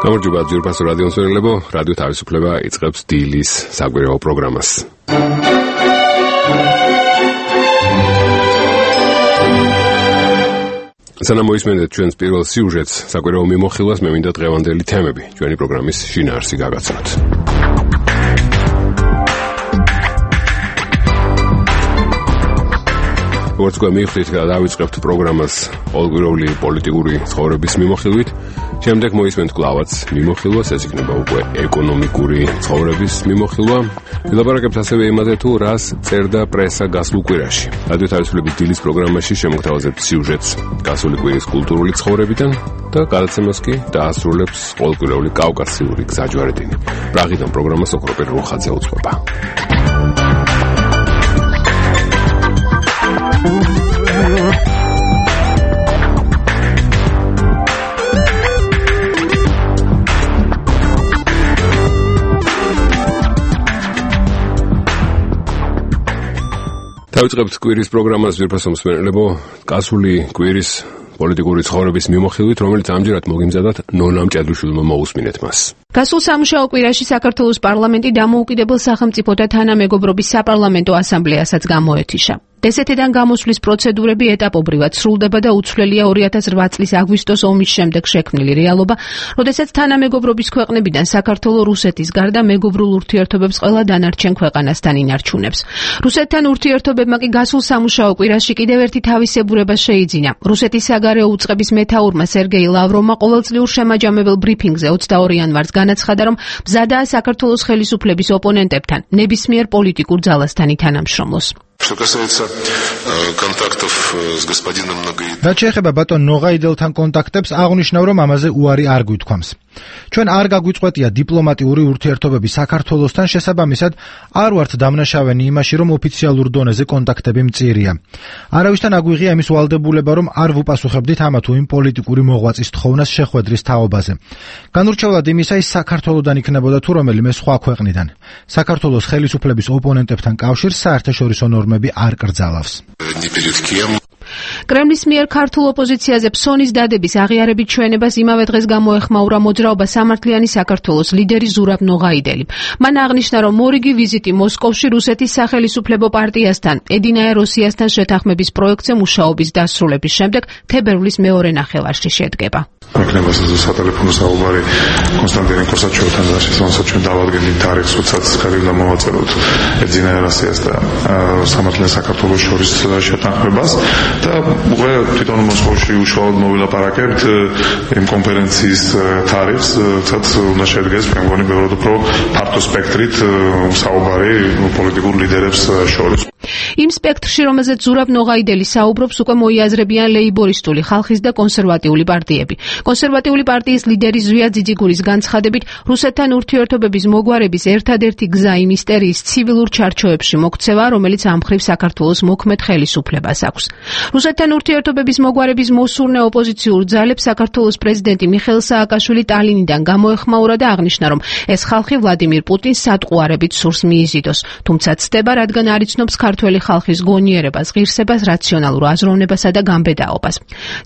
გამარჯობა ძვირფასო რადიო მსმენელებო, რადიო თავისუფლება იწყებს დილის საკვირაო პროგრამას. სანამ მოისმენთ ჩვენს პირველ სიუჟეტს, საკვირაო მიმოხილვას მე მინდა დღევანდელი თემები ჩვენი პროგრამის შინაარსი გაგაცნოთ. როგორც გვამიხდით და დავიწყებთ პროგრამას ყოველკვირეული პოლიტიკური ცხოვრების მიმოხილვით, შემდეგ მოისმენთ კლავაც მიმოხილვას, ეს იქნება უკვე ეკონომიკური ცხოვრების მიმოხილვა. ვილაპარაკებთ ასევე იმაზე, თუ რას წერდა პრესა გასულ კვირაში. რადიო თავისუფლების დილის პროგრამაში შემოგთავაზებთ სიუჟეტს გასული კვირის კულტურული ცხოვრებიდან და გადაცემას კი დაასრულებს ყოველკვირეული კავკასიური გზაჯვარედინი. პრაღიდან პროგრამას ოქროპერ როხაძე უძღვება. დავიწყებთ კვირის პროგრამას ძვირფასო მსმენელებო, გასული კვირის პოლიტიკური ცხოვრების მიმოხილვით, რომელიც ამჯერად მოგიმზადათ ნონა მჭედრუშვილმა მოусმინეთ მას. გასულ სამუშაო კვირაში საქართველოს პარლამენტი დამოუკიდებელ სახელმწიფოთა თანამეგობრობის საპარლამენტო ასამბლეასაც გამოეთიშა. დსთ-დან გამოსვლის პროცედურები ეტაპობრივად სრულდება და უცვლელია 2008 წლის აგვისტოს ომის შემდეგ შექმნილი რეალობა, როდესაც თანამეგობრობის ქვეყნებიდან საქართველო რუსეთის გარდა მეგობრულ ურთიერთობებს ყველა დანარჩენ ქვეყანასთან ინარჩუნებს. რუსეთთან ურთიერთობებმა კი გასულ სამუშაო კვირაში კიდევ ერთი თავისებურება შეიძინა. რუსეთის საგარეო უწყების მეთაურმა სერგეი ლავროვმა ყოველწლიურ შემაჯამებელ ბრიფინგზე 22 იანვარს განაცხადა, რომ მზადაა საქართველოს ხელისუფლების ოპონენტებთან ნებისმიერ პოლიტიკურ ძალასთან ითანამშრომლოს. Что касается контактов с господином Ногоидовым. რაც შეეხება ბატონ ნოღაიდელთან კონტაქტებს, აღნიშნავ, რომ ამაზე უარი არ გვითქვამს. ჩვენ არ გაგვიწყვეტია დიპლომატიური ურთიერთობები საქართველოსთან, შესაბამისად არ ვართ დამნაშავენი იმაში, რომ ოფიციალურ დონეზე კონტაქტები მწირია. არავისთან აგვიღია იმის ვალდებულება, რომ არ ვუპასუხებდით ამა თუ იმ პოლიტიკური მოღვაწის თხოვნას შეხვედრის თაობაზე. განურჩევლად იმისა, ის საქართველოდან იქნებოდა თუ რომელიმე სხვა ქვეყნიდან. საქართველოს ხელისუფლების ოპონენტებთან კავშირს საერთაშორისო ნორმები არ კრძალავს. კრემლის მიერ ქართულ ოპოზიციაზე ფსონის დადების აღიარებით ჩვენებას იმავე დღეს გამოეხმაურა მოძრაობა სამართლიანი საქართველოს ლიდერი ზურაბ ნოღაიდელი. მან აღნიშნა, რომ მორიგი ვიზიტი მოსკოვში რუსეთის სახელისუფლებო პარტიასთან, ედინაე როსიასთან შეთანხმების პროექტზე მუშაობის დასრულების შემდეგ თებერვლის მეორე ნახევარში შედგება. Იქნება სატელეფონო საუბარი კონსტანტინე კოსაჩოვთან და შესაძლოა ჩვენ დავადგენთ თარიღს, როდესაც ხელი უნდა მოვაწეროთ ედინაე როსიას და სამართლიან საქართველოს შორის შეთანხმებას. და უკვე თვითონ მოსკოვში უშუალოდ მოვილაპარაკებთ იმ კონფერენციის თარიღს, სადაც უნდა შედგეს მე მგონი ბევრად უფრო ფართო სპექტრით საუბარი პოლიტიკურ ლიდერებს შორის. იმ სპექტრში, რომელზეც ზურაბ ნოღაიდელი საუბრობს, უკვე მოიაზრებიან ლეიბორისტული ხალხის და კონსერვატიული პარტიები. კონსერვატიული პარტიის ლიდერი ზვია ძიძიგურის განცხადებით, რუსეთთან ურთიერთობების მოგვარების ერთადერთი გზა იმ ისტერიის ცივილურ ჩარჩოებში მოქცევა, რომელიც ამ მხრივ საქართველოს მოქმედ ხელისუფლებას აქვს. რუსეთთან ურთიერთობების მოგვარების მოსურნე ოპოზიციურ ძალებს საქართველოს პრეზიდენტი მიხეილ სააკაშვილი ტალინიდან გამოეხმაურა და აღნიშნა, რომ ეს ხალხი ვლადიმირ პუტინს სატყუარებით სურს მიიზიდოს, თუმცა ცდება, რადგან არ იცნობს ქართველი ხალხის გონიერებას, ღირსებას, რაციონალურ აზროვნებასა და გამბედაობას.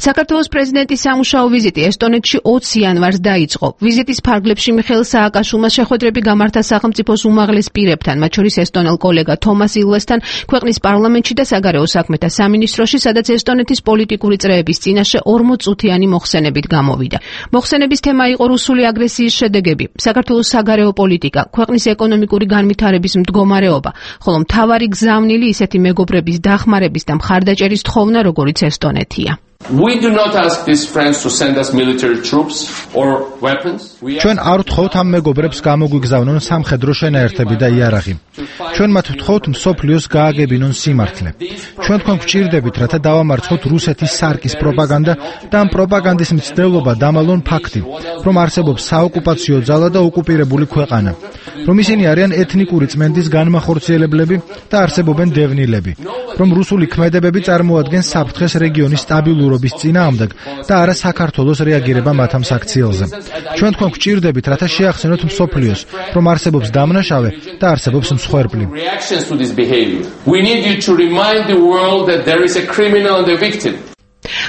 საქართველოს პრეზიდენტის სამუშაო ვიზიტი ესტონეთში 20 იანვარს დაიწყო. ვიზიტის ფარგლებში მიხეილ სააკაშვილმა შეხვედრები გამართა სახელმწიფოს უმაღლეს პირებთან, მათ შორის ესტონელ კოლეგა თომას ილვესთან, ქვეყნის პარლამენტში და საგარეო საქმეთა სამინისტროში, სადაც ესტონეთის პოლიტიკური წრეების წინაშე 40 წუთიანი მოხსენებით გამოვიდა. მოხსენების თემა იყო რუსული აგრესიის შედეგები, საქართველოს საგარეო პოლიტიკა, ქვეყნის ეკონომიკური განვითარების მდგომარეობა, ხოლო მთავარი გზავნილი ისეთი მეგობრების დახმარების და მხარდაჭერის თხოვნა, როგორიც ესტონეთია. We do not ask these friends to send us military troops or weapons. ჩვენ არ ვთხოვთ ამ მეგობრებს გამოგვიგზავნონ სამხედრო შენაერთები და იარაღი. ჩვენ მათ ვთხოვთ მსოფლიოს გააგებინონ სიმართლე. ჩვენ თქვენ გვჭირდებით, რათა დავამარცხოთ რუსეთის სარკის პროპაგანდა და ამ პროპაგანდის მცდელობა დამალონ ფაქტი, რომ არსებობს საოკუპაციო ძალა და ოკუპირებული ქვეყანა, რომ ისინი არიან ეთნიკური წმენდის განმახორციელებლები და არსებობენ დევნილები, რომ რუსული ქმედებები წარმოადგენს საფრთხეს რეგიონის სტაბილურობის წინააღმდეგ და არა საქართველოს რეაგირება მათ ამ საქციელზე. ჩვენ თქვენ გვჭირდებით, რათა შეახსენოთ მსოფლიოს, რომ არსებობს დამნაშავე და არსებობს მსხვერპლი. We need you to remind the world that there is a criminal and a victim.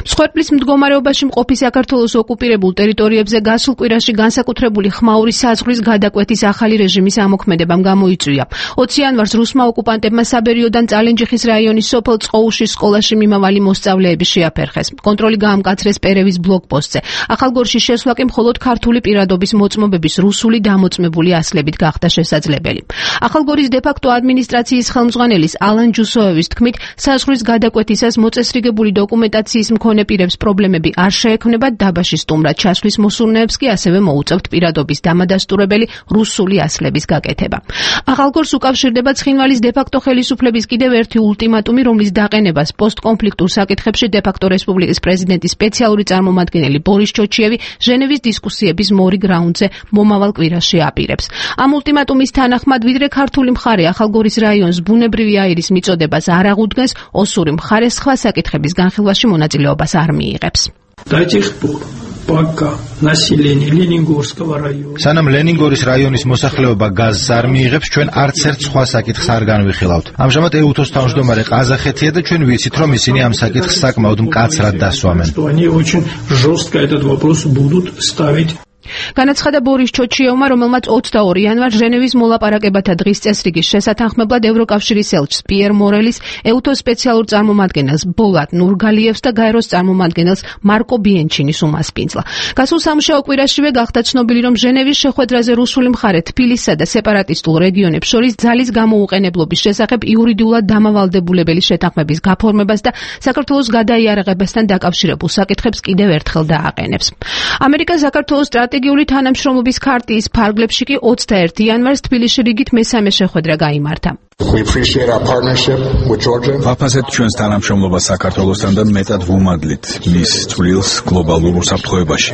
მსხვერპლის მდგომარეობაში მყოფი საქართველოს ოკუპირებულ ტერიტორიებზე გასულ კვირაში განსაკუთრებული ხმაური საზღვრის გადაკვეთის ახალი რეჟიმის ამოქმედებამ გამოიწვია. 20 იანვარს რუსმა ოკუპანტებმა საბერიოდან წალენჯიხის რაიონის სოფელ წყოუშის სკოლაში მიმავალი მოსწავლეები შეაფერხეს. კონტროლი გაამკაცრეს პერევის ბლოკპოსტზე. ახალგორში შესვლა კი მხოლოდ ქართული პირადობის მოწმობების რუსული დამოწმებული ასლებით გახდა შესაძლებელი. ახალგორის დე-ფაქტო ადმინისტრაციის ხელმძღვანელის ალან ჯუსოევის თქმით, საზღვრის გადაკვეთისას მოწესრიგებული დოკუმენტაციის მქონე პირებს პრობლემები არ შეექმნებათ, დაბაში სტუმრად ჩასვლის მოსურნეებს კი ასევე მოუწევთ პირადობის დამადასტურებელი რუსული ასლების გაკეთება. ახალგორს უკავშირდება ცხინვალის დე-ფაქტო ხელისუფლების კიდევ ერთი ულტიმატუმი, რომლის დაყენებას პოსტკონფლიქტურ საკითხებში დე-ფაქტო რესპუბლიკის პრეზიდენტის სპეციალური წარმომადგენელი ბორის ჩოჩიევი ჟენევის დისკუსიების მორიგ რაუნდზე მომავალ კვირაში აპირებს. ამ ულტიმატუმის თანახმად, ვიდრე ქართული მხარე ახალგორის რაიონს ბუნებრივი აირის მიწოდებას არ აღუდგენს, ოსური მხარე სხვა საკითხების განხილვაში მონაწილეობას არ მიიღებს. სანამ ლენინგორის რაიონის მოსახლეობა გაზს არ მიიღებს, ჩვენ არც ერთ სხვა საკითხს არ განვიხილავთ. ამჟამად ეუთოს თავმჯდომარე ყაზახეთია და ჩვენ ვიცით, რომ ისინი ამ საკითხს საკმაოდ მკაცრად დასვამენ. განაცხადა ბორის ჩოჩიევმა, რომელმაც 22 იანვარს ჟენევის მოლაპარაკებათა დღის წესრიგის შესათანხმებლად ევროკავშირის ელჩს პიერ მორელის, ეუთოს სპეციალურ წარმომადგენელს ბოლატ ნურგალიევს და გაეროს წარმომადგენელს მარკო ბიენჩინის უმასპინძლა. გასულ სამუშაო კვირაშივე გახდა ცნობილი, რომ ჟენევის შეხვედრაზე რუსული მხარე თბილისსა და სეპარატისტულ რეგიონებს შორის ძალის გამოუყენებლობის შესახებ იურიდიულად დამავალდებულებელი შეთანხმების გაფორმებას და საქართველოს გადაიარაღებასთან დაკავშირებულ საკითხებს კიდევ ერთხელ დააყენებს. ამერიკა საქართველოს სტრატეგიული თანამშრომლობის ქარტიის ფარგლებში კი 21 იანვარს თბილისში რიგით მესამე შეხვედრა გაიმართა. ვაფასებთ ჩვენს თანამშრომლობას საქართველოსთან და მეტად ვუმადლით მის წვლილს გლობალურ უსაფრთხოებაში.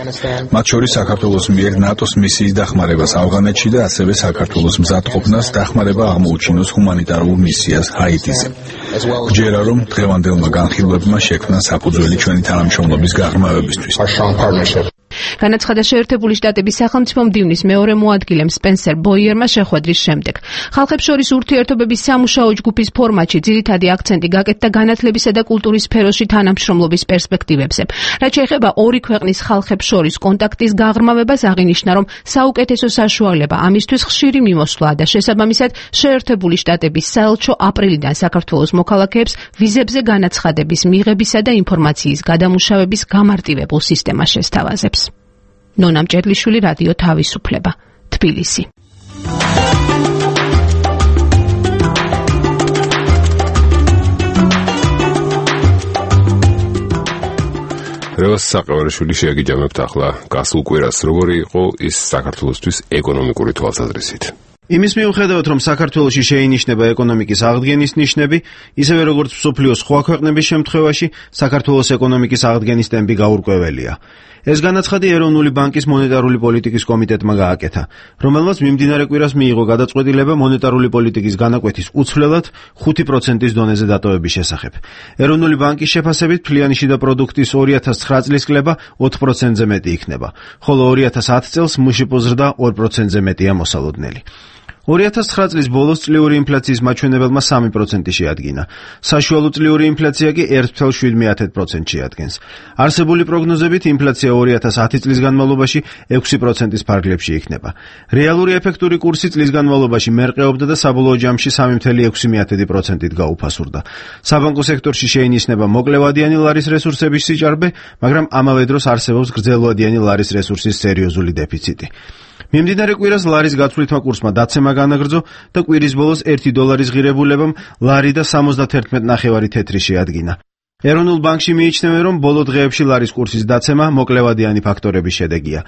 მათ შორის საქართველოს მიერ ნატოს მისიის დახმარებას ავღანეთში და ასევე საქართველოს მზადყოფნას დახმარება აღმოუჩინოს ჰუმანიტარულ მისიას ჰაიტიზე. გჯერა, რომ დღევანდელმა განხილვებმა შექმნა საფუძველი ჩვენი თანამშრომლობის გაღრმავებისთვის. განაცხადა შეერთებული შტატების სახელმწიფო მდივნის მეორე მოადგილემ სპენსერ ბოიერმა შეხვედრის შემდეგ. ხალხებს შორის ურთიერთობების სამუშაო ჯგუფის ფორმატში ძირითადი აქცენტი გაკეთდა განათლებისა და კულტურის სფეროში თანამშრომლობის პერსპექტივებზე. რაც შეეხება ორი ქვეყნის ხალხებს შორის კონტაქტის გაღრმავებას, აღინიშნა, რომ საუკეთესო საშუალება ამისთვის ხშირი მიმოსვლაა და შესაბამისად შეერთებული შტატების საელჩო აპრილიდან საქართველოს მოქალაქეებს ვიზებზე განაცხადების მიღებისა და ინფორმაციის გადამუშავების გამარტივებულ სისტემას შესთავაზებს. ნონა მჭედლიშვილი, რადიო თავისუფლება, თბილისი. რევას საყევარიშვილი შეაგიჯამებთ ახლა გასულ კვირას, როგორი იყო ის საქართველოსთვის ეკონომიკური თვალსაზრისით. იმის მიუხედავად, რომ საქართველოში შეინიშნება ეკონომიკის აღდგენის ნიშნები, ისევე როგორც მსოფლიოს სხვა ქვეყნების შემთხვევაში, საქართველოს ეკონომიკის აღდგენის ტემპი გაურკვეველია. ეს განაცხადი ეროვნული ბანკის მონეტარული პოლიტიკის კომიტეტმა გააკეთა, რომელმაც მიმდინარე კვირას მიიღო გადაწყვეტილება მონეტარული პოლიტიკის განაკვეთის უცვლელად 5%-ის დონეზე დატოვების შესახებ. ეროვნული ბანკის შეფასებით მთლიანი შიდა პროდუქტის 2009 წლის კლება 4%-ზე მეტი იქნება, ხოლო 2010 წელს მუშიპო ზრდა 2%-ზე მეტია მოსალოდნელი. 2009 წლის ბოლოს წლიური ინფლაციის მაჩვენებელმა 3% შეადგინა. საშუალო წლიური ინფლაცია კი 1.7% შეადგენს. არსებული პროგნოზებით ინფლაცია 2010 წლის განმავლობაში 6%-ის ფარგლებში იქნება. რეალური ეფექტური კურსი წლის განმავლობაში მერყეობდა და საბოლოო ჯამში 3.6%-ით გაუფასურდა. საბანკო სექტორში შეინიშნება მოკლევადიანი ლარის რესურსების სიჭარბე, მაგრამ ამავე დროს არსებობს გრძელვადიანი ლარის რესურსის სერიოზული დეფიციტი. მიმდინარე კვირას ლარის გაცვლითმა კურსმა დაცემა განაგრძო და კვირის ბოლოს 1 დოლარის ღირებულებამ ლარი და 71.9 თეთრი შეადგინა. ეროვნულ ბანკში მიიჩნევენ, რომ ბოლო დღეებში ლარის კურსის დაცემა მოკლევადიანი ფაქტორების შედეგია.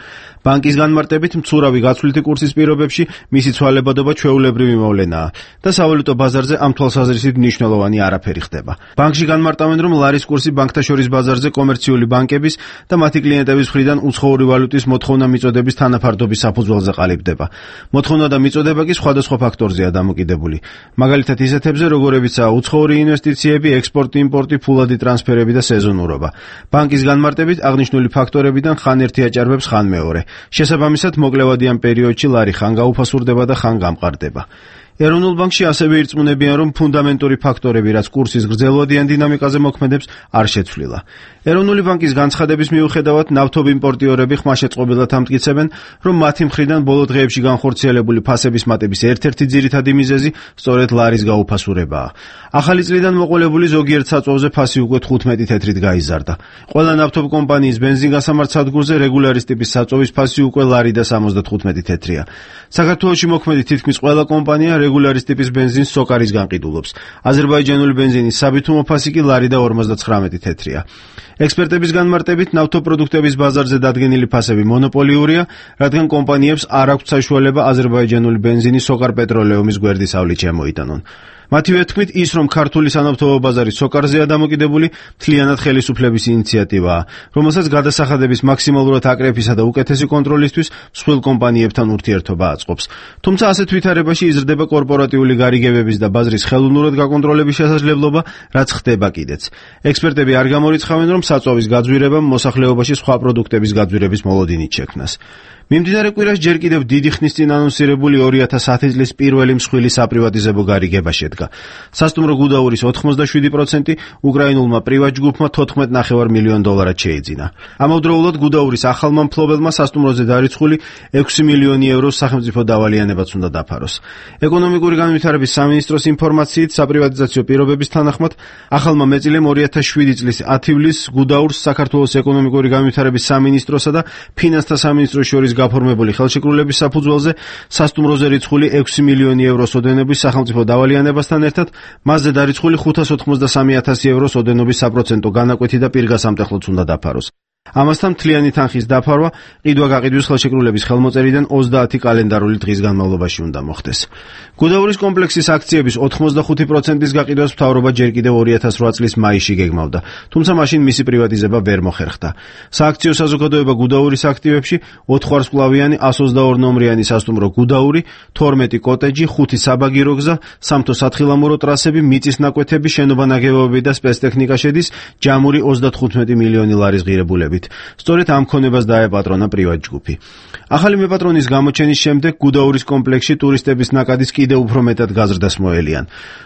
ბანკის განმარტებით, მცურავი გაცვლითი კურსის პირობებში მისი ცვალებადობა ჩვეულებრივი მოვლენაა და სავალუტო ბაზარზე ამ თვალსაზრისით მნიშვნელოვანი არაფერი ხდება. ბანკში განმარტავენ, რომ ლარის კურსი ბანკთაშორის ბაზარზე კომერციული ბანკების და მათი კლიენტების მხრიდან უცხოური ვალუტის მოთხოვნა მიწოდების თანაფარდობის საფუძველზე ყალიბდება. მოთხოვნა და მიწოდება კი სხვადასხვა ფაქტორზეა დამოკიდებული. მაგალითად ისეთებზე, როგორებიცაა უცხოური ინვესტიციები, ექსპორტი, იმპორტი, ფულადი ტრანსფერები და სეზონურობა. ბანკის განმარტებით აღნიშნული ფაქტორებიდან ხან ერთი აჭარბებს, ხან მეორე. შესაბამისად, მოკლევადიან პერიოდში ლარი ხან გაუფასურდება და ხან გამყარდება. ეროვნულ ბანკში ასევე ირწმუნებიან, რომ ფუნდამენტური ფაქტორები, რაც კურსის გრძელვადიან დინამიკაზე მოქმედებს, არ შეცვლილა. ეროვნული ბანკის განცხადების მიუხედავად, ნავთობიმპორტიორები ხმაშეწყობილად ამტკიცებენ, რომ მათი მხრიდან ბოლო დღეებში განხორციელებული ფასების მატების ერთ-ერთი ძირითადი მიზეზი სწორედ ლარის გაუფასურებაა. ახალი წლიდან მოყოლებული ზოგიერთ საწვავზე ფასი უკვე 15 თეთრით გაიზარდა. ყველა ნავთობ კომპანიის ბენზინგასამართ სადგურზე რეგულარის ტიპის საწვავის ფასი უკვე ლარი და 75 თეთრია. საქართველოში მოქმედი თითქმის ყველა კომპანია რეგულარის ტიპის ბენზინს სოკარისგან ყიდულობს. აზერბაიჯანული ბენზინის საბითუმო ფასი კი ლარი და 59 თეთრია. ექსპერტების განმარტებით, ნავთობპროდუქტების ბაზარზე დადგენილი ფასები მონოპოლიურია, რადგან კომპანიებს არ აქვთ საშუალება აზერბაიჯანული ბენზინი სოკარ-პეტროლეუმის გვერდის ავლით შემოიტანონ. მათივე თქმით, ის რომ ქართული სანავთობო ბაზარი სოკარზეა დამოკიდებული, მთლიანად ხელისუფლების ინიციატივაა, რომელსაც გადასახადების მაქსიმალურად აკრეფისა და უკეთესი კონტროლისთვის მსხვილ კომპანიებთან ურთიერთობა აწყობს. თუმცა ასეთ ვითარებაში იზრდება კორპორატიული გარიგებების და ბაზრის ხელოვნურად გაკონტროლების შესაძლებლობა, რაც ხდება კიდეც. ექსპერტები არ გამორიცხავენ, რომ საწვავის გაძვირებამ მოსახლეობაში სხვა პროდუქტების გაძვირების მოლოდინით შექმნას. მიმდინარე კვირას ჯერ კიდევ დიდი ხნის წინ ანონსირებული 2010 წლის პირველი მსხვილი საპრივატიზებო გარიგება შედგა. სასტუმრო გუდაურის 87% უკრაინულმა პრივატ ჯგუფმა $14.5 მილიონ შეიძინა. ამავდროულად გუდაურის ახალმა მფლობელმა სასტუმროზე დარიცხული 6 მილიონი ევროს სახელმწიფო დავალიანებაც უნდა დაფაროს. ეკონომიკური განვითარების სამინისტროს ინფორმაციით, საპრივატიზაციო პირობების თანახმად, ახალმა მეწილემ 2007 წლის 10 ივლისს გუდაურს საქართველოს ეკონომიკური განვითარების სამინისტროსა და ფინანსთა სამინისტროს შორის გაფორმებული ხელშეკრულების საფუძველზე სასტუმროზე რიცხული 6 მილიონი ევროს ოდენობის სახელმწიფო დავალიანებასთან ერთად მასზე დარიცხული 593,000 ევროს ოდენობის საპროცენტო განაკვეთი და პირგასამტეხლოც უნდა დაფაროს. ამასთან მთლიანი თანხის დაფარვა ყიდვა-გაყიდვის ხელშეკრულების ხელმოწერიდან 30 კალენდარული დღის განმავლობაში უნდა მოხდეს. გუდაურის კომპლექსის აქციების 85%-ის გაყიდვას მთავრობა ჯერ კიდევ 2008 წლის მაისში გეგმავდა, თუმცა მაშინ მისი პრივატიზება ვერ მოხერხდა. სააქციო საზოგადოება გუდაურის აქტივებში 4 ვარსკვლავიანი 122 ნომრიანი სასტუმრო გუდაური, 12 კოტეჯი, 5 საბაგირო გზა, სამთო სათხილამურო ტრასები, მიწის ნაკვეთები, შენობა ნაგებობები და სპეცტექნიკა შედის ჯამური 35 მილიონი ლარის ღირებულებით. სწორედ ამ ქონებას დაეპატრონა პრივატ ჯგუფი. ახალი მეპატრონის გამოჩენის შემდეგ გუდაურის კომპლექსში ტურისტების ნაკადის კიდევ უფრო მეტად გაზრდას მოელიან.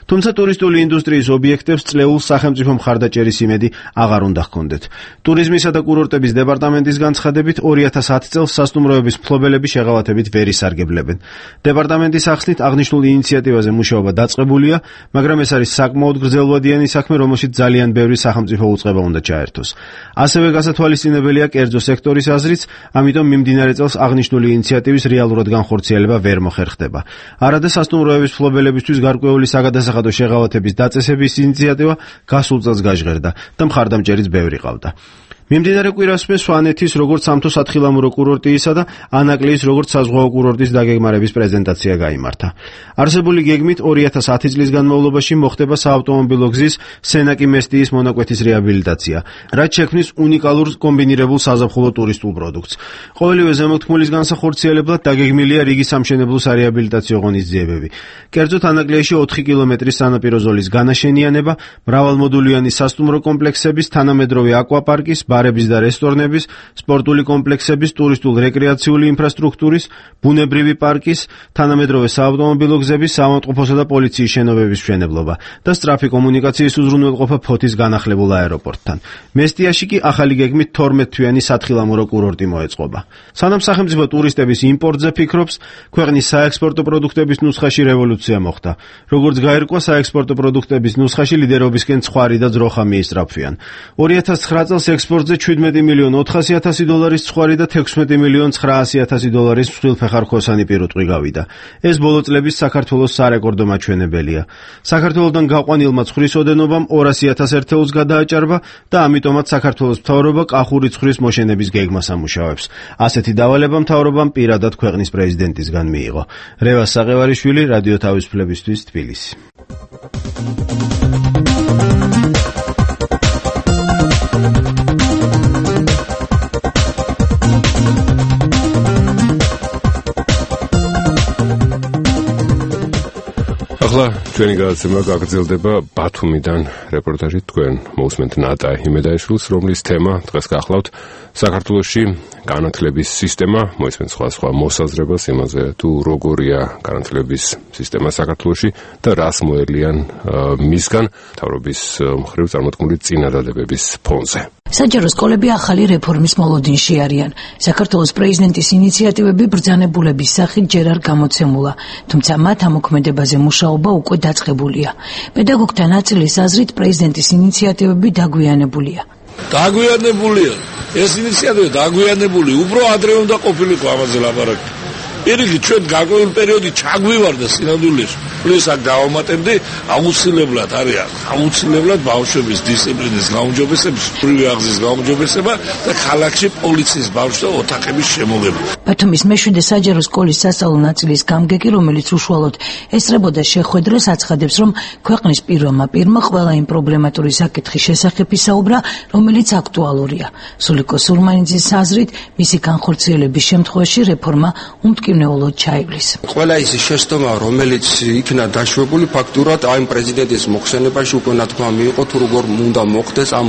თუმცა ტურისტული ინდუსტრიის ობიექტებს წლეულ სახელმწიფო მხარდაჭერის იმედი აღარ უნდა ჰქონდეთ. ტურიზმისა და კურორტების დეპარტამენტის განცხადებით 2010 წელს სასტუმროების მფლობელები შეღავათებით ვერ ისარგებლებენ. დეპარტამენტის ახსნით აღნიშნულ ინიციატივაზე მუშაობა დაწყებულია, მაგრამ ეს არის საკმაოდ გრძელვადიანი საქმე, რომელშიც ძალიან ბევრი სახელმწიფო უწყება უნდა ჩაერთოს. ასევე გასათვალისწინებელია კერძო სექტორის აზრიც, ამიტომ მიმდინარე წელს აღნიშნული ინიციატივის რეალურად განხორციელება ვერ მოხერხდება. არადა სასტუმროების მფლობელებისთვის გარკვეული საგადასახადო შეღავათების დაწესების ინიციატივა გასულ წელს გაჟღერდა და მხარდამჭერიც ბევრი ყავდა. მიმდინარე კვირასვე სვანეთის როგორც სამთო სათხილამურო კურორტისა და ანაკლიის როგორც საზღვაო კურორტის დაგეგმარების პრეზენტაცია გაიმართა. არსებული გეგმით 2010 წლის განმავლობაში მოხდება საავტომობილო გზის სენაკი-მესტიის მონაკვეთის რეაბილიტაცია, რაც შექმნის უნიკალურ კომბინირებულ საზაფხულო ტურისტულ პროდუქტს. ყოველივე ზემოთქმულის განსახორციელებლად დაგეგმილია რიგი სამშენებლო სარეაბილიტაციო ღონისძიებები. კერძოდ ანაკლიაში 4 კილომეტრის სანაპირო ზოლის განაშენიანება, მრავალმოდულიანი სასტუმრო კომპლექსების, თანამედროვე აკვაპარკის, ბარების და რესტორნების, სპორტული კომპლექსების, ტურისტულ-რეკრეაციული ინფრასტრუქტურის, ბუნებრივი პარკის, თანამედროვე საავტომობილო გზების, საავადმყოფოსა და პოლიციის შენობების მშენებლობა და სწრაფი კომუნიკაციის უზრუნველყოფა ფოთის განახლებულ აეროპორტთან. მესტიაში კი ახალი გეგმით 12 თვიანი სათხილამურო კურორტი მოეწყობა. სანამ სახელმწიფო ტურისტების იმპორტზე ფიქრობს, ქვეყნის საექსპორტო პროდუქტების ნუსხაში რევოლუცია მოხდა. როგორც გაირკვა, საექსპორტო პროდუქტების ნუსხაში ლიდერობისკენ ცხარი და ძროხა მიისწრაფვიან. 2009 წელს ექსპორტზე $17 მილიონ $400,000 ცხარი და $16 მილიონ $900,000 მსხვილფეხარქოსანი პირუტყვი გავიდა. ეს ბოლო წლების საქართველოს სარეკორდო მაჩვენებელია. საქართველოსთან გაყვანილმა ცხრის ოდენობამ 200,000 ერთეულს გადააჭარბა და ამიტომაც საქართველოს მთავრობა კახური ცხრის მოშენების გეგმას ამუშავებს. ასეთი დავალება მთავრობამ პირადად ქვეყნის პრეზიდენტისგან მიიღო. რევას საყევარიშვილი, რადიო თავისუფლებისთვის, თბილისი. ახლა ჩვენი გადაცემა გაგრძელდება ბათუმიდან რეპორტაჟით თქვენ მოусმენთ ნატა იმედაიშვილს, რომლის თემა დღეს გახლავთ საქართველოში განათლების სისტემა, მოისმენთ სხვა მოსაზრებას იმაზე თუ როგორია განათლების სისტემა საქართველოში და რას მოელიან მისგან მთავრობის მხრივ წარმოქმნილი წინადადებების ფონზე. საჯარო სკოლები ახალი რეფორმის მოლოდინში არიან. საქართველოს პრეზიდენტის ინიციატივები ბრძანებულების სახით ჯერ არ გამოცემულა, თუმცა მათ ამოქმედებაზე მუშაობა უკვე დაწყებულია. პედაგოგთა ნაწილის აზრით პრეზიდენტის ინიციატივები დაგვიანებულია. დაგვიანებულია. ეს ინიციატივა დაგვიანებული, უფრო ადრე უნდა ყოფილიყო ამაზე ლაპარაკი. პირიქით ჩვენ გარკვეული პერიოდი ჩაგვივარდა სინამდვილეში. პლუს აქ დავამატებდი აუცილებლად არის აუცილებლად ბავშვების დისციპლინის გაუმჯობესება, სრული აღზის გაუმჯობესება და ქალაქში პოლიციის ბავშვთა ოთახების შემოღება. ბათუმის მეშვიდე საჯარო სკოლის სასწავლო ნაწილის გამგეგი, რომელიც უშუალოდ ესწრებოდა შეხვედრას, აცხადებს, რომ ქვეყნის პირველმა პირმა ყველა იმ პრობლემატური საკითხის შესახებ ისაუბრა, რომელიც აქტუალურია. სულიკო სურმანიძის აზრით, მისი განხორციელების შემთხვევაში რეფორმა უმტკივნეულოდ ჩაივლის. ყველა ის შეცდომა, რომელიც იქნა დაშვებული ფაქტურად აი პრეზიდენტის მოხსენებაში უკვე ნათქმა მიიღო თუ როგორ უნდა მოხდეს ამ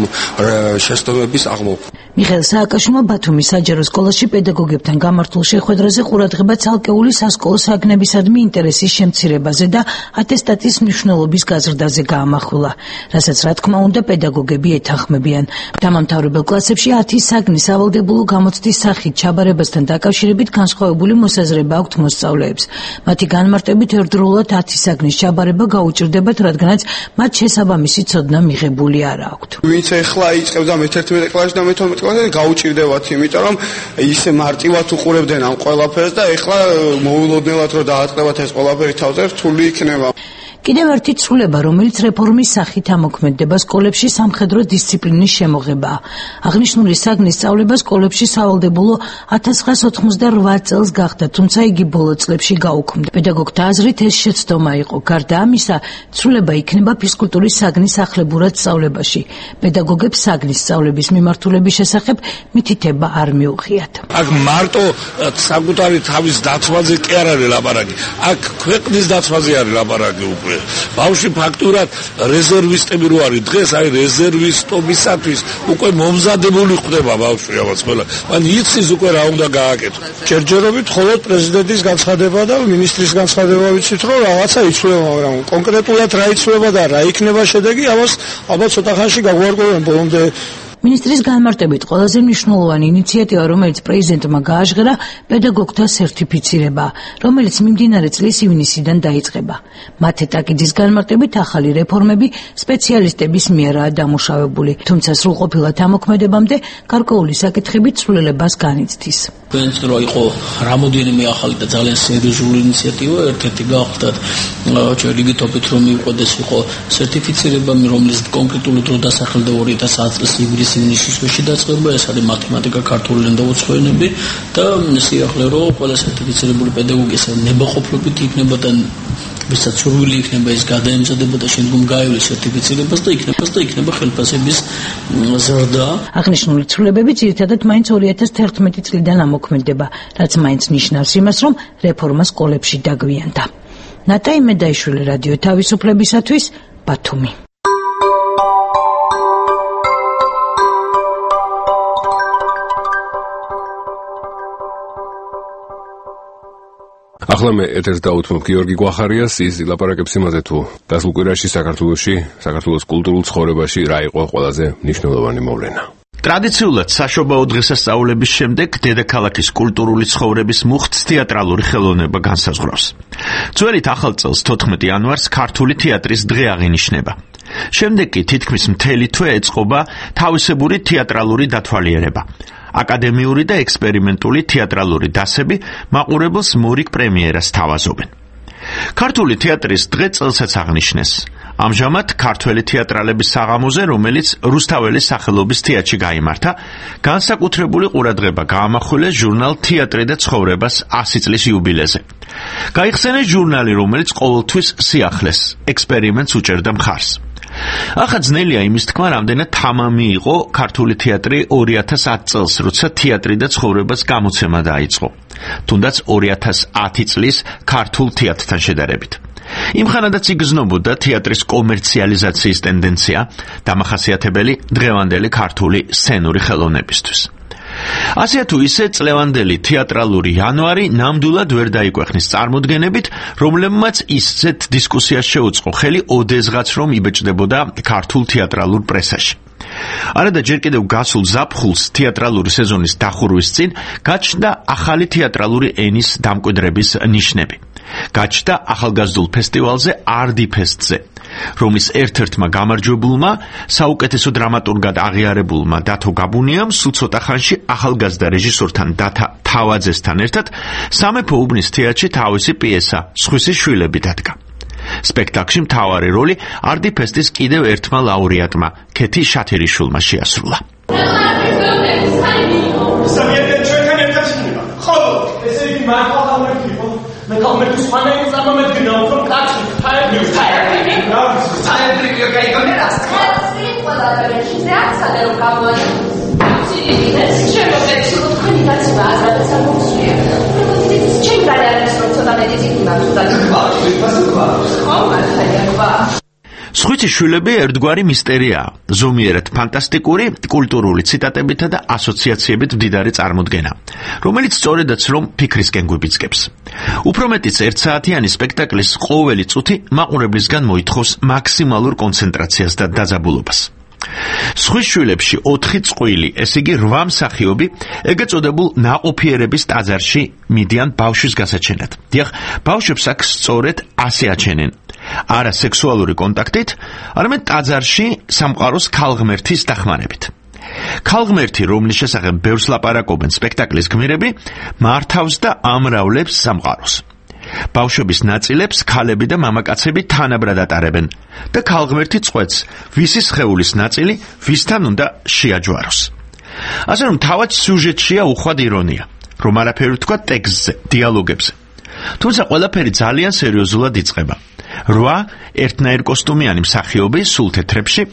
შეცდომების აღმოფხვრა. მიხეილ სააკაშვილმა ბათუმის საჯარო სკოლაში პედაგოგებთან გამართულ შეხვედრაზე ყურადღება ცალკეული სასკოლო საგნებისადმი ინტერესის შემცირებაზე და ატესტატის მნიშვნელობის გაზრდაზე გაამახვილა, რასაც რა თქმა უნდა პედაგოგები ეთანხმებიან. დამამთავრებელ კლასებში 10 საგნის ავალდებულო გამოცდის სახით ჩაბარებასთან დაკავშირებით განსხვავებული მოსაზრება აქვთ მოსწავლეებს. მათი განმარტებით ერთდროულად 10 საგნის ჩაბარება გაუჭირდებათ, რადგანაც მათ შესაბამისი ცოდნა მიღებული არ აქვთ. ვინც ეხლა იწყებდა მე-11 კლასში და მე-12 კლასში გაუჭირდებათ, იმიტომ რომ ისე მარტივად უყურებდნენ ამ ყველაფერს და ეხლა მოულოდნელად რომ დააწყდებათ ეს ყველაფერი თავზე რთული იქნება. კიდევ ერთი ცვლილება, რომელიც რეფორმის სახით ამოქმედდება სკოლებში სამხედრო დისციპლინის შემოღებაა. აღნიშნული საგნის სწავლება სკოლებში სავალდებულო 1998 წელს გახდა, თუმცა იგი ბოლო წლებში გაუქმდა. პედაგოგთა აზრით ეს შეცდომა იყო. გარდა ამისა, ცვლილება იქნება ფიზკულტურის საგნის ახლებურად სწავლებაში. პედაგოგებს საგნის სწავლების მიმართულების შესახებ მითითება არ მიუღიათ. აქ მარტო საკუთარი თავის დაცვაზე კი არ არის ლაპარაკი. აქ ქვეყნის დაცვაზე არის ლაპარაკი უკვე. ბავშვი ფაქტურად რეზერვისტები რო არის დღეს აი რეზერვისტობისათვის უკვე მომზადებული ხდება ბავშვი ამას ყველა. მან იცის უკვე რა უნდა გააკეთოს. ჯერჯერობით მხოლოდ პრეზიდენტის განცხადება და მინისტრის განცხადება ვიცით რომ რაღაცა იცვლება, მაგრამ კონკრეტულად რა იცვლება და რა იქნება შედეგი, ამას ალბათ ცოტა ხანში გაგვარკვევენ ბოლომდე. მინისტრის განმარტებით ყველაზე მნიშვნელოვანი ინიციატივა, რომელიც პრეზიდენტმა გააჟღერა, პედაგოგთა სერტიფიცირება, რომელიც მიმდინარე წლის ივნისიდან დაიწყება. მათე ტაკიძის განმარტებით ახალი რეფორმები სპეციალისტების მიერაა დამუშავებული, თუმცა სრულყოფილად ამოქმედებამდე გარკვეული საკითხები ცვლილებას განიცდის. თქვენро იყო რამოდენიმე ახალი და ძალიან სერიოზული ინიციატივა, ერთ-ერთი გახდათ ჩვენ რიგითობით რომ მიუყვდეს იყო სერტიფიცირება, რომელიც კონკრეტულად რო დასახელდა 2010 წლის ივნისში დაწყება, ეს არის მათემატიკა, ქართული ენა და უცხოენები და სიახლე რომ ყველა სერტიფიცირებული პედაგოგი ეს ნებაყოფლობით იქნება და ვისაც სურვილი იქნება ის გადაემზადება და შემდგომ გაივლის სერტიფიცირებას და იქნება ხელფასების ზრდა. აღნიშნული ცვლილებები ძირითადად მაინც 2011 წლიდან ამოქმედება, რაც მაინც ნიშნავს იმას, რომ რეფორმა სკოლებში დაგვიანდა. ნატა იმედაიშვილი, რადიო თავისუფლებისათვის, ბათუმი. ახლა მე ეთერს დაუთმობ გიორგი გვახარიას, ის ლაპარაკებს იმაზე თუ დასულ კვირაში საქართველოს კულტურულ ცხოვრებაში რა იყო ყველაზე მნიშვნელოვანი მოვლენა. ტრადიციულად საშობაო დღესასწაულების შემდეგ დედაქალაქის კულტურული ცხოვრების მუხტს თეატრალური ხელოვნება განსაზღვრავს. ძველით ახალ წელს 14 იანვარს ქართული თეატრის დღე აღინიშნება. შემდეგ კი თითქმის მთელი თვე ეწყობა თავისებური თეატრალური დათვალიერება. აკადემიური და ექსპერიმენტული თეატრალური დასები მაყურებელს მორიგ პრემიერას თავაზობენ. ქართული თეატრის დღე წელსაც აღნიშნეს. ამჟამად ქართველი თეატრალების საღამოზე, რომელიც რუსთაველის სახელობის თეატრში გაიმართა, განსაკუთრებული ყურადღება გაამახვილეს ჟურნალ თეატრი და ცხოვრებას 100 წლის იუბილეზე. გაიხსენეს ჟურნალი, რომელიც ყოველთვის სიახლეს, ექსპერიმენტს უჭერდა მხარს. ახლა ძნელია იმის თქმა, რამდენად თამამი იყო ქართული თეატრი 2010 წელს, როცა თეატრი და ცხოვრებას გამოცემა დაიწყო. თუნდაც 2010 წლის ქართულ თეატრთან შედარებით. იმხანადაც იგრძნობოდა თეატრის კომერციალიზაციის ტენდენცია, დამახასიათებელი დღევანდელი ქართული სცენური ხელოვნებისთვის. ასე თუ ისე წლევანდელი თეატრალური იანვარი ნამდვილად ვერ დაიკვეხნის წარმოდგენებით, რომლებმაც ისეთ დისკუსიას შეუწყო ხელი ოდესღაც რომ იბეჭდებოდა ქართულ თეატრალურ პრესაში. არადა ჯერ კიდევ გასულ ზაფხულს თეატრალური სეზონის დახურვის წინ გაჩნდა ახალი თეატრალური ენის დამკვიდრების ნიშნები. გაჩნდა ახალგაზრდულ ფესტივალზე ARDI-ფესტზე, რომლის ერთ-ერთმა გამარჯვებულმა, საუკეთესო დრამატურგად აღიარებულმა დათო გაბუნიამ სულ ცოტა ხანში ახალგაზრდა რეჟისორთან დათა თავაძესთან ერთად სამეფო უბნის თეატრში თავისი პიესა „სხვისი შვილები“ დადგა. სპექტაკლში მთავარი როლი ARDI-ფესტის კიდევ ერთმა ლაურეატმა, ქეთი შათერიშვილმა შეასრულა. მე კომენტის ფანელის ამომედგინა უფრო კაცი ფაილის თაირი თაირი გაიგონერას კაცი ყველა რეჟისორი ახსენე რომ გამოაჩინე სიდიდეს შემოგეცი თქვენი კაცი ბაზარს ამოსვია ჩემ გადაარეს რომ ცოტა მედიცინი მაქვს და ხო მართალია სხვისი შვილები ერთგვარი მისტერიაა, ზომიერად ფანტასტიკური, კულტურული ციტატებითა და ასოციაციებით მდიდარი წარმოდგენა, რომელიც სწორედაც რომ ფიქრისკენ გვიბიძგებს. უფრო მეტიც ერთსაათიანი სპექტაკლის ყოველი წუთი მაყურებლისგან მოითხოვს მაქსიმალურ კონცენტრაციას და დაძაბულობას. სხვის შვილებში 4 წყვილი, ეს იგი 8 მსახიობი, ეგრეთ წოდებულ ნაყოფიერების ტაძარში მიდიან ბავშვის გასაჩენად. დიახ, ბავშვებს აქ სწორედ ასე აჩენენ. არა სექსუალური კონტაქტით, არამედ ტაძარში სამყაროს ქალღმერთის დახმარებით. ქალღმერთი, რომლის შესახებ ბევრს ლაპარაკობენ სპექტაკლის გმირები, მართავს და ამრავლებს სამყაროს. ბავშვების ნაწილებს ქალები და მამაკაცები თანაბრად ატარებენ და ქალღმერთი წყვეტს, ვისი სხეულის ნაწილი ვისთან უნდა შეაჯვაროს. ასე რომ თავად სიუჟეტშია უხვად ირონია, რომ არაფერი თქვა ტექსტზე, დიალოგებზე. თუმცა ყველაფერი ძალიან სერიოზულად იწყება. 8 ერთნაირ კოსტუმიანი მსახიობი სულ თეთრებში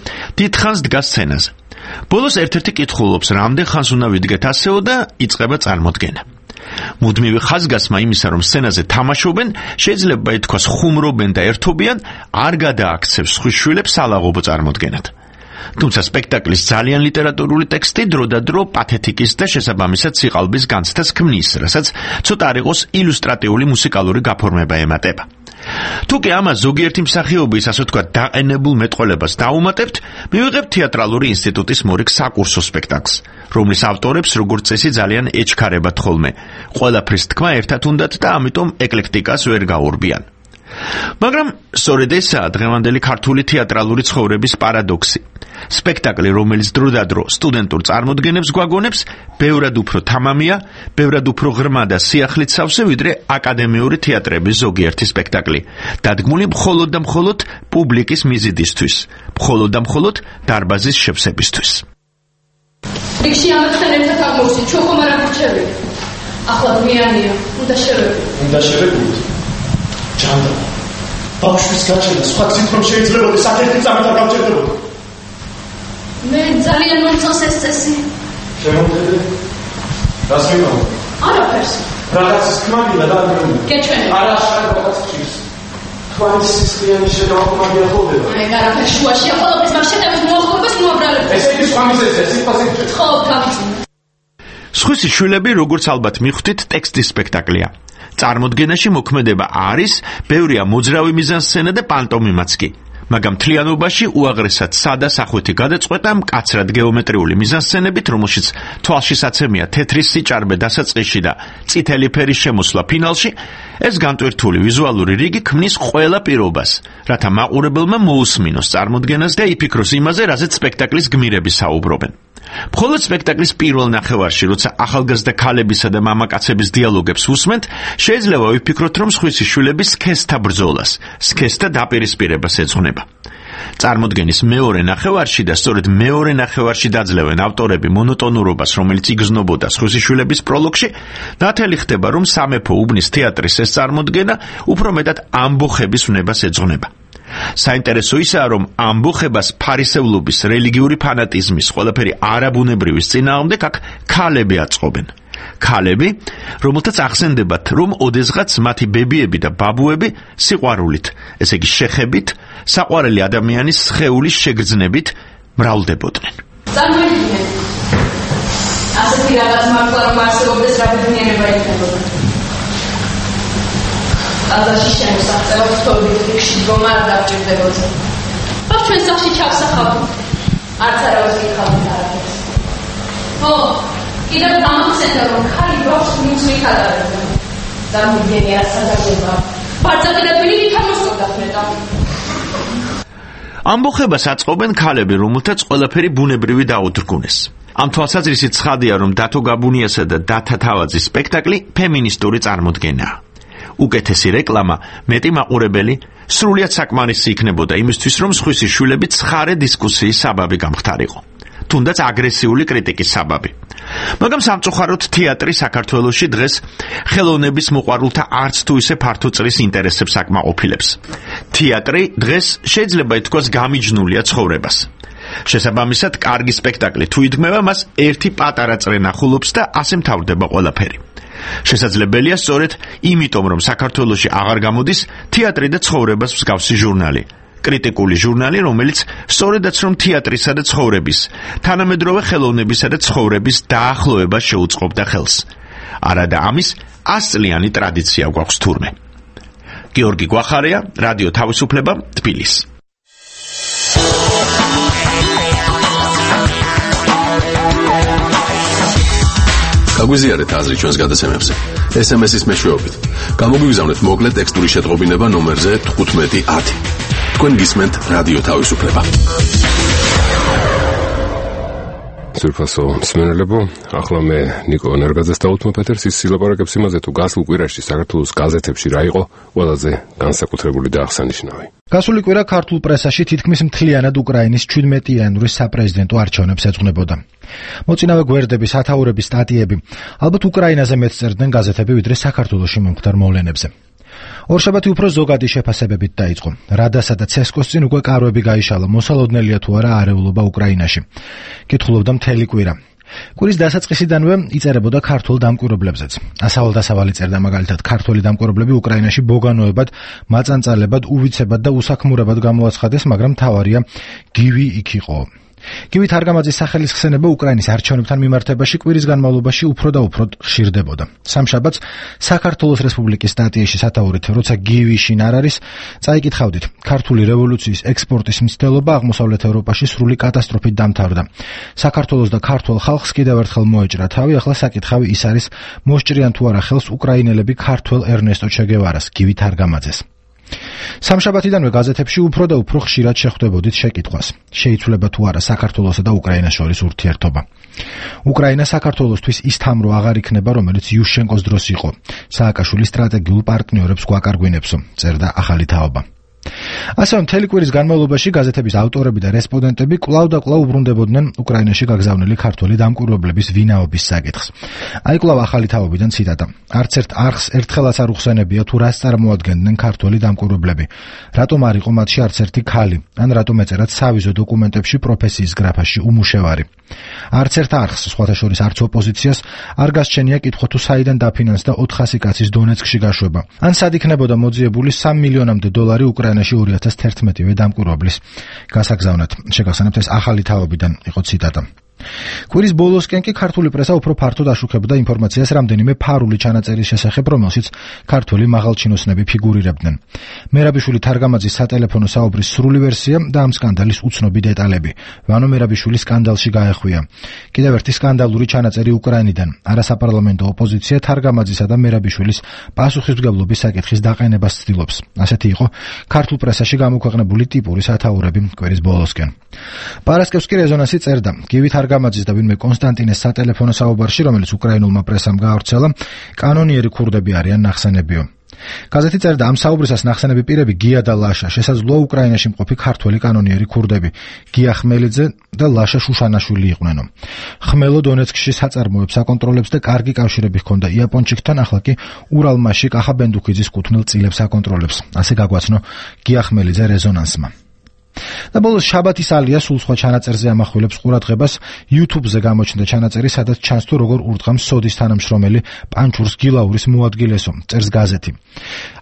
დიდხანს დგას სცენაზე. ბოლოს ერთ-ერთი კითხულობს, რამდენ ხანს უნდა ვიდგეთ ასეო და იწყება წარმოდგენა. მუდმივი ხაზგასმა იმისა, რომ სცენაზე თამაშობენ, შეიძლება ითქვას ხუმრობენ და ერთობიან, არ გადააქცევს სხვის შვილებს ალაღობო წარმოდგენად. თუმცა სპექტაკლის ძალიან ლიტერატურული ტექსტი დროდადრო პათეთიკის და შესაბამისად სიყალბის განცდას ქმნის, რასაც ცოტა არ იყოს ილუსტრატიული მუსიკალური გაფორმება ემატება. თუ კი ამას ზოგიერთი მსახიობის, ასე ვთქვათ, დაყენებულ მეტყველებას დაუმატებთ, მივიღებთ თეატრალური ინსტიტუტის მორიგ საკურსო სპექტაკლს, რომლის ავტორებს როგორც წესი ძალიან ეჩქარებათ ხოლმე. ყველაფრის თქმა ერთად უნდათ და ამიტომ ეკლექტიკას ვერ გაურბიან. მაგრამ სწორედ ესაა დღევანდელი ქართული თეატრალური ცხოვრების პარადოქსი. სპექტაკლი, რომელიც დროდადრო სტუდენტურ წარმოდგენებს გვაგონებს, ბევრად უფრო თამამია, ბევრად უფრო ღრმა და სიახლით სავსე, ვიდრე აკადემიური თეატრების ზოგიერთი სპექტაკლი, დადგმული მხოლოდ და მხოლოდ პუბლიკის მიზიდისთვის, მხოლოდ და მხოლოდ დარბაზის შევსებისთვის. რიგში ამასთან ერთად აღმოვსით, ჩვენ ხომ არ აღრჩევით. ახლა გვიანია, უნდა შევედი. უნდა შევედით. ჯანდრა. ბავშვის გაჩენა, სხვა გზით რომ შეიძლებოდა, საკერთი წამით არ გავჭირდებოდა. მე ძალიან მომწონს ეს წესი. შემოხედე. რას მიყავ? არაფერს. რაღაცის კმაგი და ამბობ. გეჩვენე. არა, შენ რაღაც ჭირს. თქვენი სისხლიანი შეგავკმაგი ახალდება. მე არაფერს შუაში ახალობის მაგ შეტევის მოახლობას მოაბრალებ. ესე იგი სხვა მიზეზია, სიტყვაზე. ხო, გავიწმინე. სხვისი შვილები, როგორც ალბათ მიხვდით, ტექსტის სპექტაკლია. წარმოდგენაში მოქმედება არის, ბევრია მოძრავი მიზანსცენა და პანტომიმაც კი. მაგრამ მთლიანობაში უაღრესად სადა სახვეთი გადაწყვეტა მკაცრად გეომეტრიული მიზანსცენებით, რომელშიც თვალშისაცემია თეთრი სიჭარბე დასაწყისში და წითელი ფერის შემოსვლა ფინალში, ეს განტვირთული ვიზუალური რიგი ქმნის ყველა პირობას, რათა მაყურებელმა მოусმინოს წარმოდგენას და იფიქროს იმაზე, რაზეც სპექტაკლის გმირები საუბრობენ. მხოლოდ სპექტაკლის პირველ ნახევარში, როცა ახალგაზრდა ქალებისა და მამაკაცების დიალოგებს უსმენთ, შეიძლება ვიფიქროთ, რომ სხვისი შვილები სქესთა ბრძოლას, სქესთა დაპირისპირებას ეძღვნება. წარმოდგენის მეორე ნახევარში და სწორედ მეორე ნახევარში დაძლევენ ავტორები მონოტონურობას, რომელიც იგრძნობოდა სხვისი შვილების პროლოგში, ნათელი ხდება, რომ სამეფო უბნის თეატრის ეს წარმოდგენა უფრო მეტად ამბოხების ვნებას ეძღვნება. საინტერესო ისაა, რომ ამბოხებას ფარისევლობის, რელიგიური ფანატიზმის, ყველაფერი არაბუნებრივის წინააღმდეგ აქ ქალები აწყობენ. ქალები, რომელთაც ახსენდებათ, რომ ოდესღაც მათი ბებიები და ბაბუები სიყვარულით, ესე იგი შეხებით, საყვარელი ადამიანის სხეულის შეგრძნებით მრავლდებოდნენ. წარმოიდგინეთ, ასეთი რაღაც მართლა რომ არსებობდეს რა ბედნიერება იქნებოდა. აზაში შემოსაღწევა ვთხოვდით რიგში დგომა არ დავჭირდებოდა. ხო, ჩვენ სახში ჩავსახავთ. არც არავის გიხავთ არაფერს. ხო, კიდევ დამახსენდა რომ ხალი ბავშვს მიწვით ატარებდა. დამიგენია სადაგება. ბარძაყიდებული ვითამოსობდა ხნეტა. ამბოხებას აწყობენ ქალები, რომელთაც ყველაფერი ბუნებრივი დაუდრგუნეს. ამ თვალსაზრისით ცხადია, რომ დათო გაბუნიასა და დათა თავაძის სპექტაკლი ფემინისტური წარმოდგენაა. უკეთესი რეკლამა, მეტი მაყურებელი, სრულიად საკმარისი იქნებოდა იმისთვის, რომ სხვისი შვილები ცხარე დისკუსიის საბაბი გამხდარიყო. თუნდაც აგრესიული კრიტიკის საბაბი. მაგრამ სამწუხაროდ თეატრი საქართველოში დღეს ხელოვნების მოყვარულთა არც თუ ისე ფართო წრის ინტერესებს აკმაყოფილებს. თეატრი დღეს შეიძლება ითქვას გამიჯნულია ცხოვრებას. შესაბამისად, კარგი სპექტაკლი თუ იდგმება, მას ერთი პატარა წრე ნახულობს და ასე მთავრდება ყველაფერი. შესაძლებელია სწორედ იმიტომ, რომ საქართველოში აღარ გამოდის თეატრი და ცხოვრებას მსგავსი ჟურნალი. კრიტიკული ჟურნალი, რომელიც სწორედაც რომ თეატრისა და ცხოვრების, თანამედროვე ხელოვნებისა და ცხოვრების დაახლოებას შეუწყობდა ხელს. არადა ამის 100 წლიანი ტრადიცია გვაქვს თურმე. გიორგი გვახარია, რადიო თავისუფლება, თბილისი. გაგვიზიარეთ აზრი ჩვენს გადაცემებზე. SMS-ის მეშვეობით. გამოგვიგზავნეთ მოკლე ტექსტური შეტყობინება ნომერზე 1510. თქვენ გისმენთ რადიო თავისუფლება. სურფასო მსმენელებო, ახლა მე ნიკო ენერგაძეს დავუთმობ ეთერს, ის სილაპარაკებს იმაზე, თუ გასულ კვირაში საქართველოს გაზეთებში რა იყო ყველაზე განსაკუთრებული და აღსანიშნავი. გასული კვირა ქართულ პრესაში თითქმის მთლიანად უკრაინის 17-იანური საპრეზიდენტო არჩევნებს ეძღვნებოდა. მოწინავე გვერდების, ათაურების სტატიები ალბათ უკრაინაზე მეტ წერდნენ გაზეთები, ვიდრე საქართველოში მომხდარ მოვლენებზე. ორშაბათი უფრო ზოგადი შეფასებებით დაიწყო. რადასა და ცესკოს წინ უკვე კარვები გაიშალა, მოსალოდნელია თუ არა არეულობა უკრაინაში. კითხულობდა მთელი კვირა. კვირის დასაწყისიდანვე იწერებოდა ქართულ დამკვირვებლებზეც. ასავალ-დასავალი წერდა მაგალითად, ქართველი დამკვირვებლები უკრაინაში ბოგანოებად, მაწანწალებად, უვიცებად და უსაქმურებად გამოაცხადეს, მაგრამ მთავარია გივი იქ იყო. გივი თარგამაძის სახელის ხსენება უკრაინის არჩევნებთან მიმართებაში კვირის განმავლობაში უფრო და უფრო ხშირდებოდა. სამშაბათს საქართველოს რესპუბლიკის სტატიაში სათაურით, როცა გივი შინ არ არის, წაიკითხავდით, ქართული რევოლუციის ექსპორტის მცდელობა აღმოსავლეთ ევროპაში სრული კატასტროფით დამთავრდა. საქართველოს და ქართულ ხალხს კიდევ ერთხელ მოეჭრა თავი, ახლა საკითხავი ის არის, მოსჭრიან თუ არა ხელს უკრაინელები ქართველ ერნესტო ჩე გევარას, გივი თარგამაძეს. სამშაბათიდანვე გაზეთებში უფრო და უფრო ხშირად შეხვდებოდით შეკითხვას. შეიცვლება თუ არა საქართველოსა და უკრაინას შორის ურთიერთობა. უკრაინა საქართველოსთვის ის თამრო აღარ იქნება, რომელიც იუშენკოს დროს იყო. სააკაშვილის სტრატეგიულ პარტნიორებს გვაკარგვინებსო, წერდა ახალი თაობა. ასევე მთელი კვირის განმავლობაში გაზეთების ავტორები და რესპონდენტები კვლავ და კვლავ უბრუნდებოდნენ უკრაინაში გაგზავნილი ქართველი დამკვირვებლების ვინაობის საკითხს. აი კვლავ ახალი თაობიდან ციტატა. არც ერთ არხს ერთხელაც არ უხსენებია თუ რას წარმოადგენდნენ ქართველი დამკვირვებლები. რატომ არ იყო მათში არც ერთი ქალი, ან რატომ ეწერათ სავიზო დოკუმენტებში პროფესიის გრაფაში უმუშევარი. არც ერთ არხს, სხვათა შორის არც ოპოზიციას, არ გასჩენია კითხვა თუ საიდან დაფინანსდა 400 კაცის დონეცკში გაშვება. ან სად იქნებოდა მოძიებული 3 მილიონამდე დოლარი უკრაინაში 2011-ვე დამკვირვებლის გასაგზავნად. შეგახსენებთ, ეს ახალი თაობიდან იყო ციტატა. კვირის ბოლოსკენ კი ქართული პრესა უფრო ფართოდ აშუქებდა ინფორმაციას რამდენიმე ფარული ჩანაწერის შესახებ, რომელშიც ქართველი მაღალჩინოსნები ფიგურირებდნენ. მერაბიშვილი თარგამაძის სატელეფონო საუბრის სრული ვერსია და ამ სკანდალის უცნობი დეტალები. ვანო მერაბიშვილი სკანდალში გაეხვია. კიდევ ერთი სკანდალური ჩანაწერი უკრაინიდან. არასაპარლამენტო ოპოზიცია თარგამაძისა და მერაბიშვილის პასუხისმგებლობის საკითხის დაყენებას ცდილობს. ასეთი იყო ქართულ პრესაში გამოქვეყნებული ტიპური სათაურები კვირის ბოლოსკენ. პარასკევს კი რეზონანსი წერდა. გივი თარგამაძის და ვინმე კონსტანტინეს სატელეფონო საუბარში, რომელიც უკრაინულმა პრესამ გაავრცელა, კანონიერი ქურდები არიან ნახსენებიო. გაზეთი წერდა, ამ საუბრისას ნახსენები პირები გია და ლაშა, შესაძლოა უკრაინაში მყოფი ქართველი კანონიერი ქურდები, გია ხმელიძე და ლაშა შუშანაშვილი იყვნენო. ხმელო დონეცკში საწარმოებს აკონტროლებს და კარგი კავშირები ჰქონდა იაპონჩიკთან, ახლა კი ურალმაში კახა ბენდუქიძის კუთვნილ წილებს აკონტროლებს. ასე გაგვაცნო გია ხმელიძე რეზონანსმა. და ბოლოს შაბათის ალია სულ სხვა ჩანაწერზე ამახვილებს ყურადღებას YouTube-ზე გამოჩნდა ჩანაწერი, სადაც ჩანს თუ როგორ ურტყამს სოდის თანამშრომელი პანჩურს გილაურის მოადგილესო, წერს გაზეთი.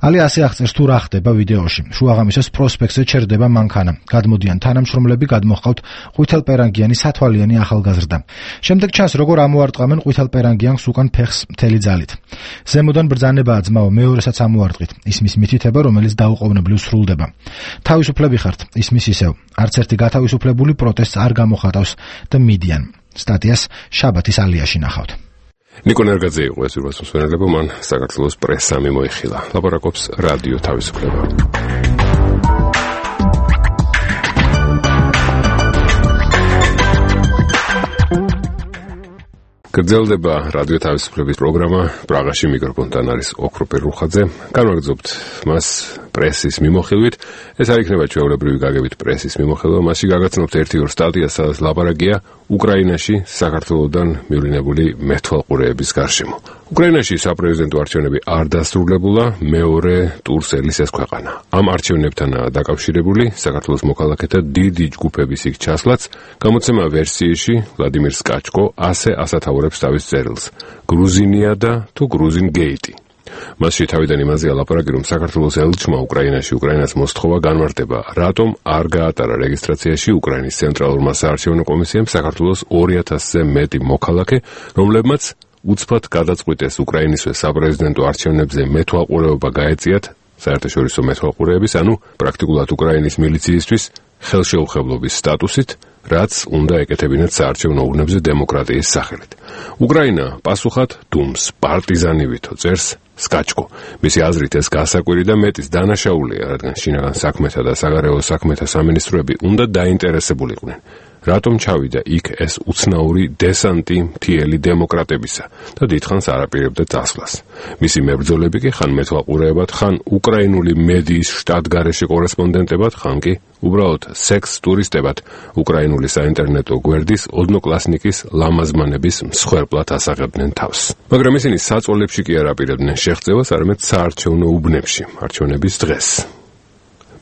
ალია ასე აღწერს თუ რა ხდება ვიდეოში. შუაღამისას პროსპექტზე ჩერდება მანქანა. გადმოდიან თანამშრომლები, გადმოჰყავთ ყვითელპერანგიანი სათვალიანი ახალგაზრდა. შემდეგ ჩანს როგორ ამოარტყამენ ყვითელპერანგიანს უკან ფეხს მთელი ძალით. ზემოდან ბრძანებაა ძმაო, მეორესაც ამოარტყით. ისმის მითითება, რომელიც დაუყოვნებლივ სრულდება. თავისუფლები ხართ, ისმის ისევ. არც ერთი გათავისუფლებული პროტესტს არ გამოხატავს და მიდიან. სტატიას შაბათის ალიაში ნახავთ. ნიკო ნერგაძე იყო ეს ურვასმსვენელება, მან საქართველოს პრესა მიმოიხილა. ლაპარაკობს რადიო თავისუფლება. გრძელდება რადიო თავისუფლების პროგრამა. პრაღაში მიკროფონთან არის ოქროპერ რუხაძე. განვაგრძობთ მას პრესის მიმოხილვით. ეს არ იქნება ჩვეულებრივი გაგებით პრესის მიმოხილვა. მასში გაგაცნობთ 1-2 სტატიას, სადაც ლაპარაკია უკრაინაში საქართველოდან მივლინებული მეთვალყურეების გარშემო. უკრაინაში საპრეზიდენტო არჩევნები არ დასრულებულა, მეორე ტურს ელის ეს ქვეყანა. ამ არჩევნებთანაა დაკავშირებული საქართველოს მოქალაქეთა დიდი ჯგუფების იქ ჩასვლაც. გამოცემა ვერსიაში ვლადიმირ სკაჩკო ასე ასათაურებს თავის წერილს: გრუზინია და თუ გრუზინ გეიტი. მასში თავიდან იმაზეა ლაპარაკი, რომ საქართველოს ელჩმა უკრაინაში უკრაინას მოსთხოვა განმარტება, რატომ არ გაატარა რეგისტრაციაში უკრაინის ცენტრალურმა საარჩევნო კომისიამ საქართველოს 2000-ზე მეტი მოქალაქე, რომლებმაც უცბად გადაწყვიტეს უკრაინისვე საპრეზიდენტო არჩევნებზე მეთვალყურეობა გაეწიათ საერთაშორისო მეთვალყურეების, ანუ პრაქტიკულად უკრაინის მილიციისთვის ხელშეუხებლობის სტატუსით, რაც უნდა ეკეთებინათ საარჩევნო ურნებზე დემოკრატიის სახელით. უკრაინა პასუხად დუმს პარტიზანივითო, წერს სკაჩკო. მისი აზრით ეს გასაკვირი და მეტის დანაშაულია, რადგან შინაგან საქმეთა და საგარეო საქმეთა სამინისტროები უნდა დაინტერესებულიყვნენ. რატომ ჩავიდა იქ ეს უცნაური დესანტი მთიელი დემოკრატებისა და დიდხანს არ აპირებდა წასვლას. მისი მებრძოლები კი ხან მეთვალყურეებად, ხან უკრაინული მედიის შტატგარეშე კორესპონდენტებად, ხან კი უბრალოდ სექს ტურისტებად უკრაინული საინტერნეტო გვერდის ოდნოკლასნიკის ლამაზმანების მსხვერპლად ასაღებდნენ თავს. მაგრამ ისინი საწოლებში კი არ აპირებდნენ შეღწევას, არამედ საარჩევნო უბნებში, არჩევნების დღეს.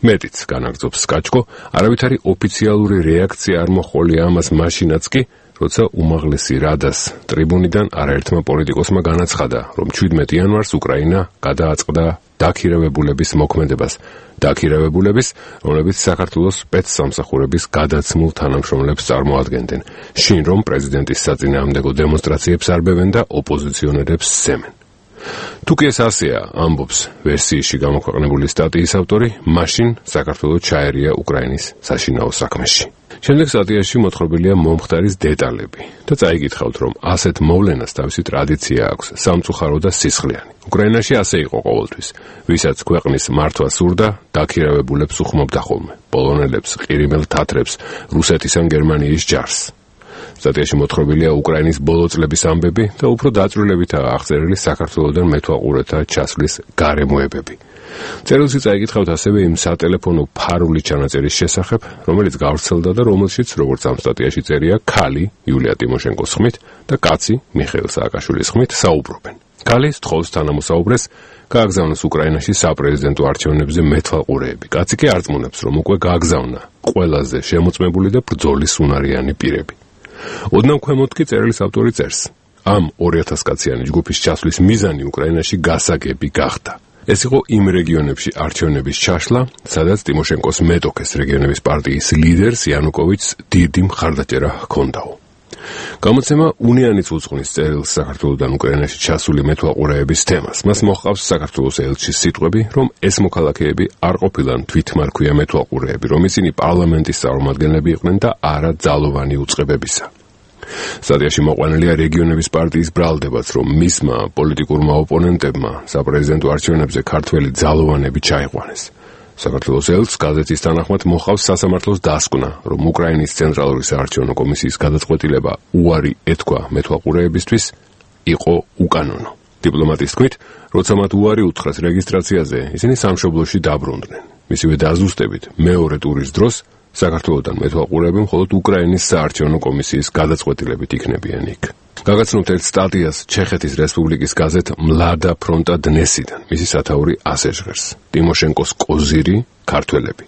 მეტიც განაგრძობს სკაჩკო, არავითარი ოფიციალური რეაქცია არ მოჰყოლია ამას მაშინაც კი, როცა უმაღლესი რადას ტრიბუნიდან არაერთმა პოლიტიკოსმა განაცხადა, რომ 17 იანვარს უკრაინა გადააწყდა დაქირავებულების მოქმედებას, დაქირავებულების, რომლებიც საქართველოს სპეცსამსახურების გადაცმულ თანამშრომლებს წარმოადგენდნენ, შინ რომ პრეზიდენტის საწინააღმდეგო დემონსტრაციებს არბევენ და ოპოზიციონერებს სცემენ. თუ კი ეს ასეა, ამბობს ვერსიაში გამოქვეყნებული სტატიის ავტორი, მაშინ საქართველო ჩაერია უკრაინის საშინაო საქმეში. შემდეგ სტატიაში მოთხრობილია მომხდარის დეტალები და წაიგითხავთ, რომ ასეთ მოვლენას თავისი ტრადიცია აქვს, სამწუხარო და სისხლიანი. უკრაინაში ასე იყო ყოველთვის. ვისაც ქვეყნის მართვა სურდა, დაქირავებულებს უხმობდა ხოლმე, პოლონელებს, ყირიმელ თათრებს, რუსეთის ან გერმანიის ჯარს. სტატიაში მოთხრობილია უკრაინის ბოლო წლების ამბები და უფრო დაწვრილებითაა აღწერილი საქართველოდან მეთვალყურეთა ჩასვლის გარემოებები. წერილში წაიგითხავთ ასევე იმ სატელეფონო ფარული ჩანაწერის შესახებ, რომელიც გავრცელდა და რომელშიც, როგორც ამ სტატიაში წერია, ქალი იულია ტიმოშენკოს ხმით და კაცი მიხეილ სააკაშვილის ხმით საუბრობენ. ქალი სთხოვს თანამოსაუბრეს გააგზავნოს უკრაინაში საპრეზიდენტო არჩევნებზე მეთვალყურეები. კაცი კი არწმუნებს, რომ უკვე გააგზავნა ყველაზე შემოწმებული და ბრძოლის უნარიანი პირები. ოდნავ ქვემოთ კი წერილის ავტორი წერს: ამ 2000 კაციანი ჯგუფის ჩასვლის მიზანი უკრაინაში გასაგები გახდა. ეს იყო იმ რეგიონებში არჩევნების ჩაშლა, სადაც ტიმოშენკოს მეტოქეს რეგიონების პარტიის ლიდერს იანუკოვიჩს დიდი მხარდაჭერა ჰქონდაო. გამოცემა უნიანიც უძღვნის წერილს საქართველოდან უკრაინაში ჩასული მეთვალყურეების თემას. მას მოჰყავს საქართველოს ელჩის სიტყვები, რომ ეს მოქალაქეები არ ყოფილან თვითმარქვია მეთვალყურეები, რომ ისინი პარლამენტის წარმომადგენლები იყვნენ და არა ძალოვანი უწყებებისა. სტატიაში მოყვანილია რეგიონების პარტიის ბრალდებაც, რომ მისმა პოლიტიკურმა ოპონენტებმა საპრეზიდენტო არჩევნებზე ქართველი ძალოვანები ჩაიყვანეს. საქართველოს ელჩს გაზეთის თანახმად მოჰყავს სასამართლოს დასკვნა, რომ უკრაინის ცენტრალური საარჩევნო კომისიის გადაწყვეტილება უარი ეთქვა მეთვალყურეებისთვის იყო უკანონო. დიპლომატის თქმით, როცა მათ უარი უთხრეს რეგისტრაციაზე, ისინი სამშობლოში დაბრუნდნენ. მისივე დაზუსტებით, მეორე ტურის დროს საქართველოდან მეთვალყურეები მხოლოდ უკრაინის საარჩევნო კომისიის გადაწყვეტილებით იქნებიან იქ. გაგაცნობთ ერთ სტატიას ჩეხეთის რესპუბლიკის გაზეთ მლადა ფრონტა დნესიდან. მისი სათაური ასე ჟღერს: ტიმოშენკოს კოზირი ქართველები.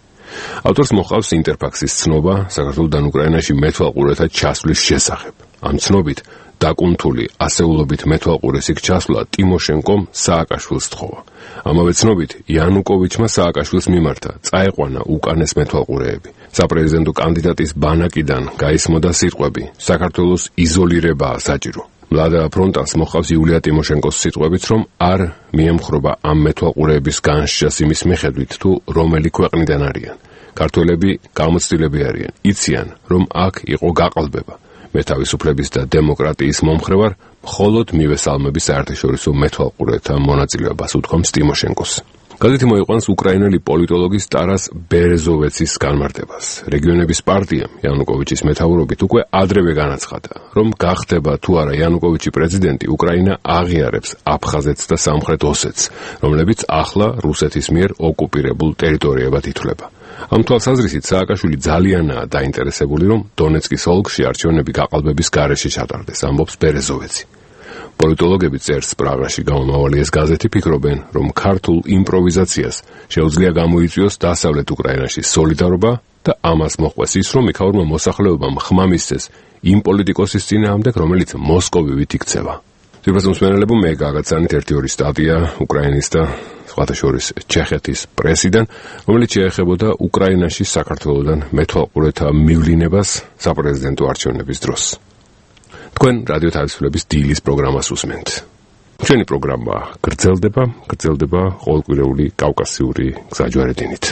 ავტორს მოყავს ინტერფაქსის ცნობა საქართველოსთან უკრაინაში მეთვალყურეთა ჩასვლის შესახებ. ამ ცნობით დაკუნთული ასეულობით მეთვალყურეს იქ ჩასვლა ტიმოშენკომ სააკაშვილს თხოვა. ამავე ცნობით იანუკოვიჩმა სააკაშვილს მიმართა წაეყვანა უკანეს მეთვალყურეები. საპრეზიდენტო კანდიდატის ბანაკიდან გაისმოდა სიტყვები საქართველოს იზოლირებაა საჭირო. მლადა ფრონტას მოყავს იულია ტიმოშენკოს სიტყვებით, რომ არ მიემხრობა ამ მეთვალყურეების განსჯას იმის მიხედვით, თუ რომელი ქვეყნიდან არიან. ქართველები გამოცდილები არიან, იციან, რომ აქ იყო გაყალბება. მე თავისუფლების და დემოკრატიის მომხრე ვარ, მხოლოდ მივესალმების საერთაშორისო მეთვალყურეთა მონაწილეობას, უთქვამს ტიმოშენკოს. გაზეთი მოიყვანს უკრაინელი პოლიტოლოგის ტარას ბერეზოვეცის განმარტებას. რეგიონების პარტიამ იანუკოვიჩის მეთაურობით უკვე ადრევე განაცხადა, რომ გახდება თუ არა იანუკოვიჩი პრეზიდენტი, უკრაინა აღიარებს აფხაზეთს და სამხრეთ ოსეთს, რომლებიც ახლა რუსეთის მიერ ოკუპირებულ ტერიტორიებად ითვლება. ამ თვალსაზრისით სააკაშვილი ძალიანაა დაინტერესებული, რომ დონეცკის ოლქში არჩევნები გაყალბების გარეშე ჩატარდეს, ამბობს ბერეზოვეცი. პოლიტოლოგები წერს პრაღაში გამომავალი ეს გაზეთი ფიქრობენ, რომ ქართულ იმპროვიზაციას შეუძლია გამოიწვიოს დასავლეთ უკრაინაში სოლიდარობა და ამას მოჰყვეს ის, რომ იქაურმა მოსახლეობამ ხმა მისცეს იმ პოლიტიკოსის წინააღმდეგ, რომელიც მოსკოვივით იქცევა. ძვირფას მსმენელებო, მე გაგაცანით 1-2 სტატია უკრაინის და სხვათა შორის ჩეხეთის პრესიდან, რომელიც შეეხებოდა უკრაინაში საქართველოსთან მეთვალყურეთა მივლინებას საპრეზიდენტო არჩევნების დროს. თქვენ რადიო თავისუფლების დილის პროგრამას უსმენთ. ჩვენი პროგრამა გრძელდება ყოველკვირეული კავკასიური გზაჯვარედინით.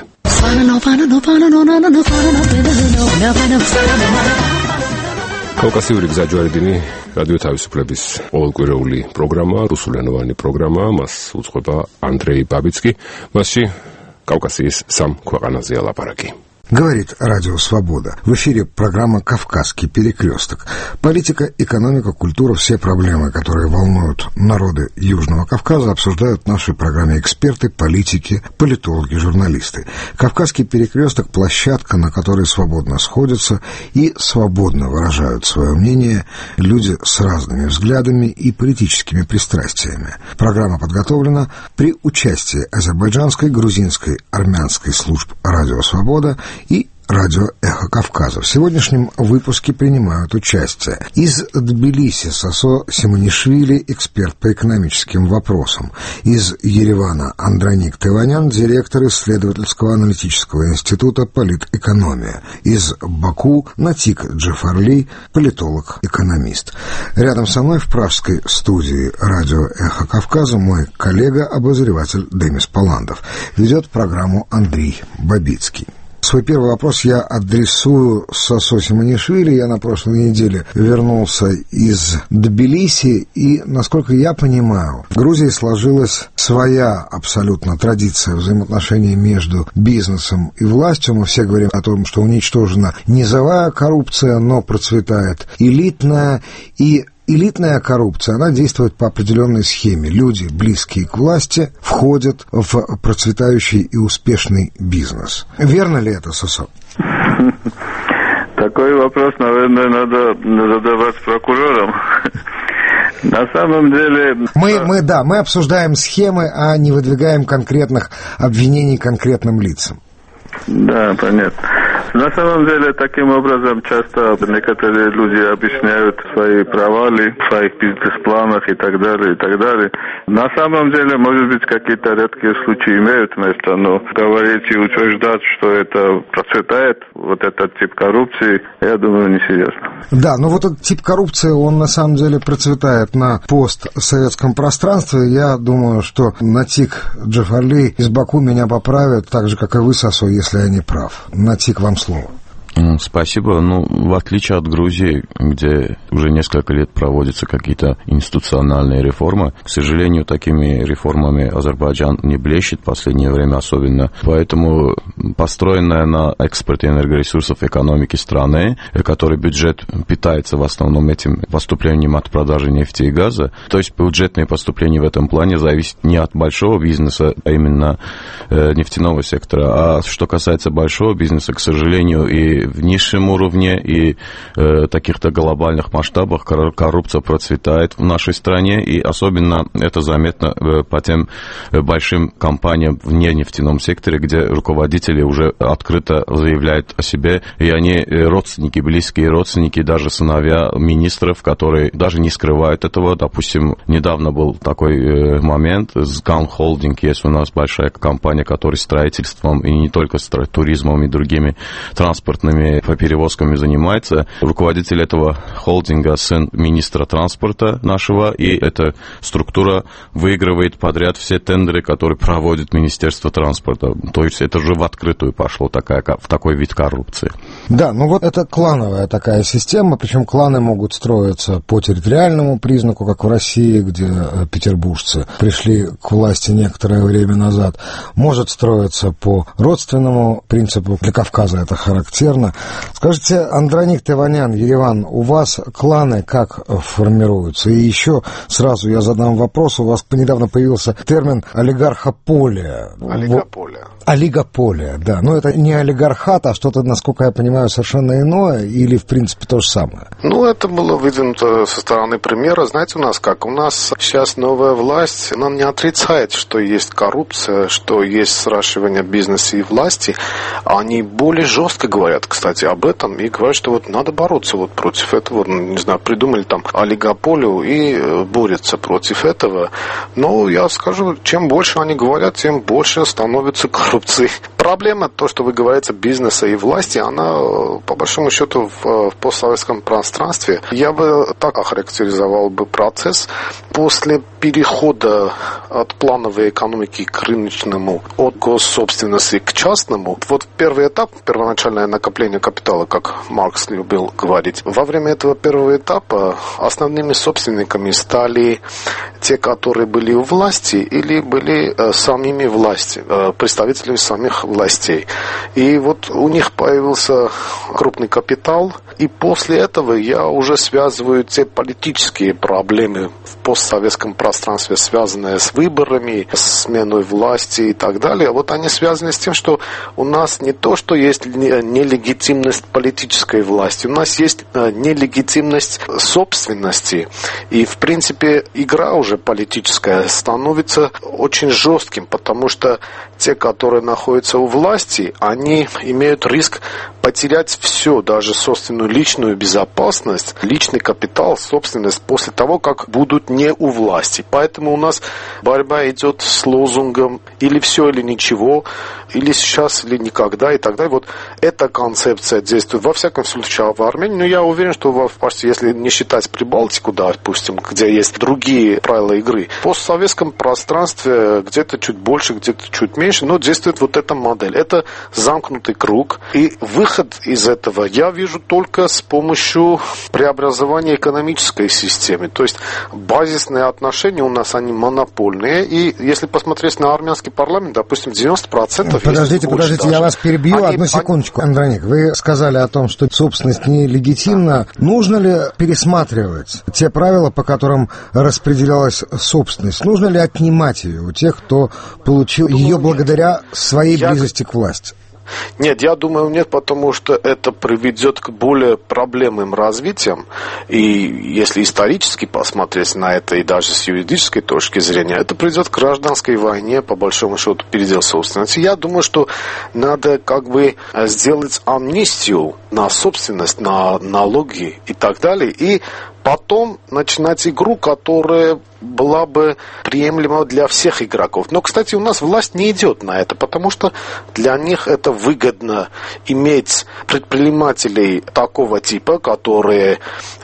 კავკასიური გზაჯვარედინი რადიო თავისუფლების ყოველკვირეული პროგრამა, რუსულენოვანი პროგრამა, მას უძღვება ანდრეი ბაბიცკი, მასში კავკასიის 3 ქვეყანაზე ლაპარაკი. Говорит Радио Свобода. В эфире программа «Кавказский перекресток». Политика, экономика, культура, все проблемы, которые волнуют народы Южного Кавказа, обсуждают в нашей программе эксперты, политики, политологи, журналисты. «Кавказский перекресток» – площадка, на которой свободно сходятся и свободно выражают свое мнение люди с разными взглядами и политическими пристрастиями. Программа подготовлена при участии азербайджанской, грузинской, армянской служб «Радио Свобода» и радио «Эхо Кавказа». В сегодняшнем выпуске принимают участие из Тбилиси Сосо Симонишвили, эксперт по экономическим вопросам, из Еревана Андроник Тыванян, директор исследовательского аналитического института «Политэкономия», из Баку Натик Джафарли, политолог-экономист. Рядом со мной в пражской студии радио «Эхо Кавказа» мой коллега-обозреватель Демис Паландов. Ведет программу Андрей Бабицкий. Свой первый вопрос я адресую Сосо Симонишвили. Я на прошлой неделе вернулся из Тбилиси, и, насколько я понимаю, в Грузии сложилась своя абсолютно традиция взаимоотношений между бизнесом и властью. Мы все говорим о том, что уничтожена низовая коррупция, но процветает элитная, и элитная коррупция, она действует по определенной схеме. Люди, близкие к власти, входят в процветающий и успешный бизнес. Верно ли это, Сосо? Такой вопрос, наверное, надо задавать прокурорам. На самом деле... Мы обсуждаем схемы, а не выдвигаем конкретных обвинений конкретным лицам. Да, понятно. На самом деле, таким образом, часто некоторые люди объясняют свои провалы в своих бизнес-планах и так далее, и так далее. На самом деле, может быть, какие-то редкие случаи имеют место, но говорить и утверждать, что это процветает, вот этот тип коррупции, я думаю, несерьезно. Да, но вот этот тип коррупции, он на самом деле процветает на постсоветском пространстве. Я думаю, что Натик Джафарли из Баку меня поправит, так же, как и вы, Сосо, если я не прав. Натик, вам слово. Спасибо. В отличие от Грузии, где уже несколько лет проводятся какие-то институциональные реформы, к сожалению, такими реформами Азербайджан не блещет в последнее время особенно. Поэтому построенная на экспорте энергоресурсов экономики страны, который бюджет питается в основном этим поступлением от продажи нефти и газа, то есть бюджетные поступления в этом плане зависят не от большого бизнеса, а именно нефтяного сектора. А что касается большого бизнеса, к сожалению, и в в низшем уровне, и в таких-то глобальных масштабах коррупция процветает в нашей стране, и особенно это заметно по тем большим компаниям в нефтяном секторе, где руководители уже открыто заявляют о себе, и они родственники, близкие родственники, даже сыновья министров, которые даже не скрывают этого. Допустим, недавно был такой момент, Сган Холдинг, есть у нас большая компания, которая строительством, и не только туризмом, и другими транспортными перевозками занимается. Руководитель этого холдинга сын министра транспорта нашего, и эта структура выигрывает подряд все тендеры, которые проводит Министерство транспорта. То есть это уже в открытую пошло в такой вид коррупции. Да, ну вот это клановая такая система, причем кланы могут строиться по территориальному признаку, как в России, где петербуржцы пришли к власти некоторое время назад. Может строиться по родственному принципу, для Кавказа это характерно. Скажите, Андроник Теванян, Ереван, у вас кланы как формируются? И еще сразу я задам вопрос, у вас недавно появился термин олигархополия. Олигополия, да. Но это не олигархат, а что-то, насколько я понимаю, совершенно иное, или, в принципе, то же самое? Ну, это было выдвинуто со стороны премьера. Знаете, у нас как? У нас сейчас новая власть, она не отрицает, что есть коррупция, что есть сращивание бизнеса и власти. Они более жестко говорят, кстати, об этом, и говорят, что вот надо бороться вот против этого. Не знаю, придумали там олигополию и борются против этого. Но я скажу, чем больше они говорят, тем больше становится коррупция. Проблема, то, что вы говорите, бизнеса и власти, она, по большому счету, в постсоветском пространстве, я бы так охарактеризовал бы процесс. После перехода от плановой экономики к рыночному, от госсобственности к частному, вот первый этап, первоначальное накопление капитала, как Маркс любил говорить, во время этого первого этапа основными собственниками стали те, которые были у власти или были самими власти, представителями самих властей. И вот у них появился крупный капитал, и после этого я уже связываю те политические проблемы в постсоветском пространстве, связанные с выборами, с сменой власти и так далее. Вот они связаны с тем, что у нас не то, что есть нелегитимность политической власти, у нас есть нелегитимность собственности. И, в принципе, игра уже политическая становится очень жестким, потому что те, которые находятся у власти, они имеют риск потерять все, даже собственную личную безопасность, личный капитал, собственность после того, как будут не у власти. Поэтому у нас борьба идет с лозунгом или все, или ничего, или сейчас, или никогда и так далее. Вот эта концепция действует во всяком случае в Армении, но я уверен, что почти, если не считать Прибалтику, да, допустим, где есть другие правила игры, в постсоветском пространстве где-то чуть больше, где-то чуть меньше, но действует вот эта модель. Это замкнутый круг, и выход из этого я вижу только с помощью преобразования экономической системы. То есть базисные отношения у нас, они монопольные, и если посмотреть на армянский парламент, допустим, 90%... Подождите, я вас перебью, одну секундочку, Андроник. Вы сказали о том, что собственность нелегитимна. Нужно ли пересматривать те правила, по которым распределялась собственность? Нужно ли отнимать ее у тех, кто получил ее благодаря своей близости к власти? Нет, я думаю, нет, потому что это приведет к более проблемным развитиям. И если исторически посмотреть на это, и даже с юридической точки зрения, это приведет к гражданской войне, по большому счету, передел собственности. Я думаю, что надо как бы сделать амнистию на собственность, на налоги и так далее, и потом начинать игру, которая была бы приемлема для всех игроков. Но, кстати, у нас власть не идет на это, потому что для них это выгодно иметь предпринимателей такого типа, которые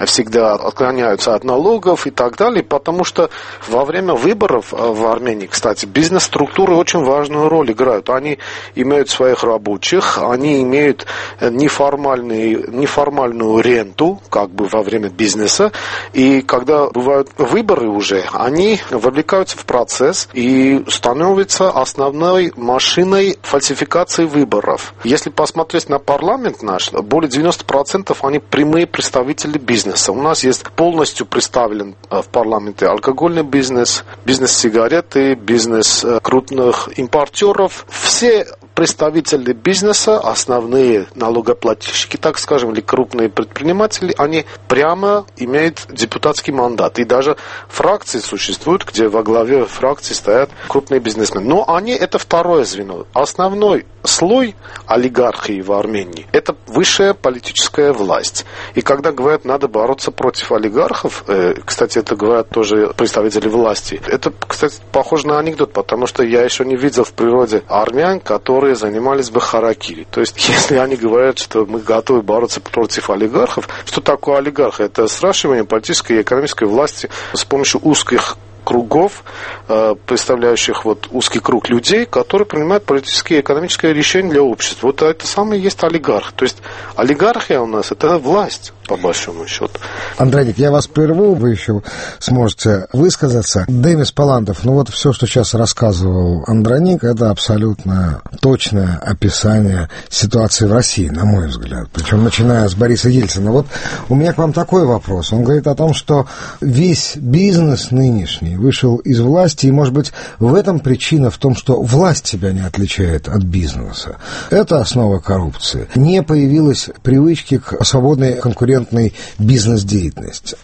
всегда отклоняются от налогов и так далее, потому что во время выборов в Армении, кстати, бизнес-структуры очень важную роль играют. Они имеют своих рабочих, они имеют неформальную ренту, как бы во время бизнеса, и когда бывают выборы уже, они вовлекаются в процесс и становятся основной машиной фальсификации выборов. Если посмотреть на парламент наш, более 90% они прямые представители бизнеса. У нас есть полностью представлен в парламенте алкогольный бизнес, бизнес сигареты, бизнес крупных импортеров. Все представители бизнеса, основные налогоплательщики, так скажем, или крупные предприниматели, они прямо имеют депутатский мандат. И даже фракции существуют, где во главе фракции стоят крупные бизнесмены. Но они это второе звено. Основной слой олигархии в Армении – это высшая политическая власть. И когда говорят, надо бороться против олигархов, кстати, это говорят тоже представители власти, это, кстати, похоже на анекдот, потому что я еще не видел в природе армян, которые занимались бы харакири. То есть, если они говорят, что мы готовы бороться против олигархов, что такое олигарх? Это сращивание политической и экономической власти с помощью узких кругов, представляющих вот узкий круг людей, которые принимают политические и экономические решения для общества. Вот это самое есть олигарх. То есть олигархия у нас – это власть, по большому счету. Андроник, я вас прерву, вы еще сможете высказаться. Демис Палландов, ну вот все, что сейчас рассказывал Андроник, это абсолютно точное описание ситуации в России, на мой взгляд. Причем начиная с Бориса Ельцина. Вот у меня к вам такой вопрос. Он говорит о том, что весь бизнес нынешний вышел из власти, и, может быть, в этом причина в том, что власть себя не отличает от бизнеса. Это основа коррупции. Не появилось привычки к свободной конкурентной бизнес-деятельности.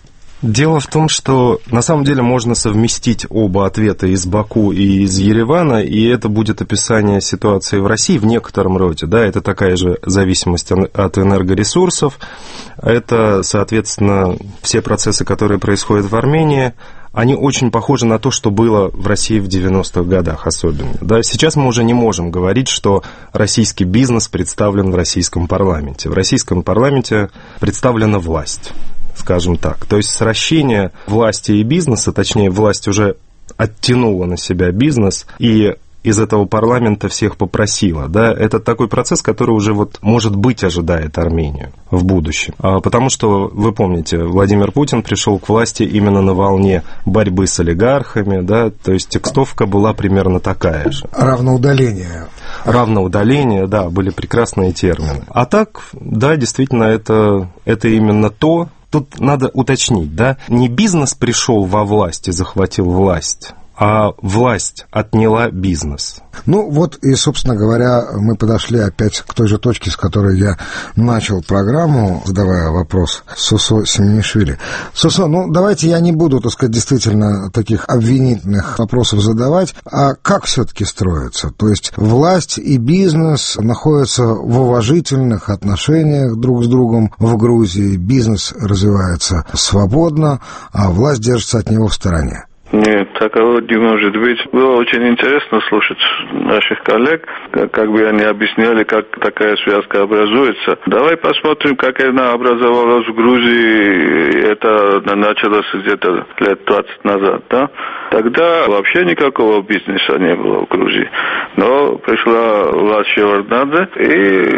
Дело в том, что на самом деле можно совместить оба ответа из Баку и из Еревана, и это будет описание ситуации в России в некотором роде. Да, это такая же зависимость от энергоресурсов, это, соответственно, все процессы, которые происходят в Армении, они очень похожи на то, что было в России в 90-х годах особенно. Да, сейчас мы уже не можем говорить, что российский бизнес представлен в российском парламенте. В российском парламенте представлена власть, скажем так. То есть сращение власти и бизнеса, точнее, власть уже оттянула на себя бизнес и из этого парламента всех попросила. Да? Это такой процесс, который уже, вот, может быть, ожидает Армению в будущем. Потому что, вы помните, Владимир Путин пришел к власти именно на волне борьбы с олигархами, да? То есть текстовка была примерно такая же. Равноудаление. Равноудаление, да, были прекрасные термины. А так, да, действительно, это именно то. Тут надо уточнить, да, не бизнес пришел во власть и захватил власть, а власть отняла бизнес. Ну вот и, собственно говоря, мы подошли опять к той же точке, с которой я начал программу, задавая вопрос Сусо Семенишвили. Сусо, ну давайте я не буду, так сказать, действительно таких обвинительных вопросов задавать, а как все-таки строится? То есть власть и бизнес находятся в уважительных отношениях друг с другом в Грузии, бизнес развивается свободно, а власть держится от него в стороне. Нет, такого не может быть. Было очень интересно слушать наших коллег, как бы они объясняли, как такая связка образуется. Давай посмотрим, как она образовалась в Грузии. Это началось где-то лет 20 назад, да? Тогда вообще никакого бизнеса не было в Грузии. Но пришла власть Шеварднадзе, и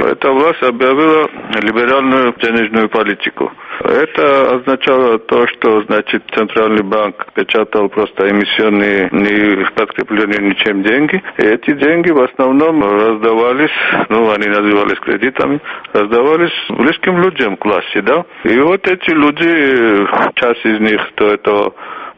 эта власть объявила либеральную денежную политику. Это означало то, что, значит, Центральный банк печатал просто эмиссионные, не подкрепленные ничем деньги. И эти деньги в основном раздавались, ну, они назывались кредитами, раздавались близким людям к власти, да. И вот эти люди, часть из них, то это,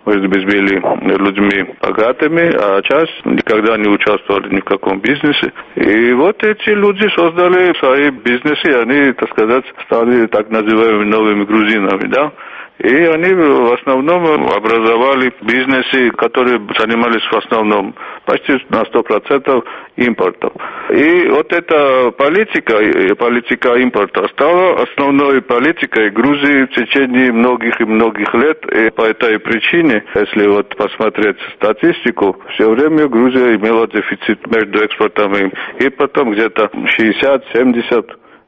может быть, были людьми богатыми, а часть никогда не участвовали ни в каком бизнесе. И вот эти люди создали свои бизнесы, они, так сказать, стали так называемыми новыми грузинами, да. И они в основном образовали бизнесы, которые занимались в основном почти на 100% импортом. И вот эта политика импорта стала основной политикой Грузии в течение многих и многих лет. И по этой причине, если вот посмотреть статистику, все время Грузия имела дефицит между экспортом и импортом где-то 60-70%.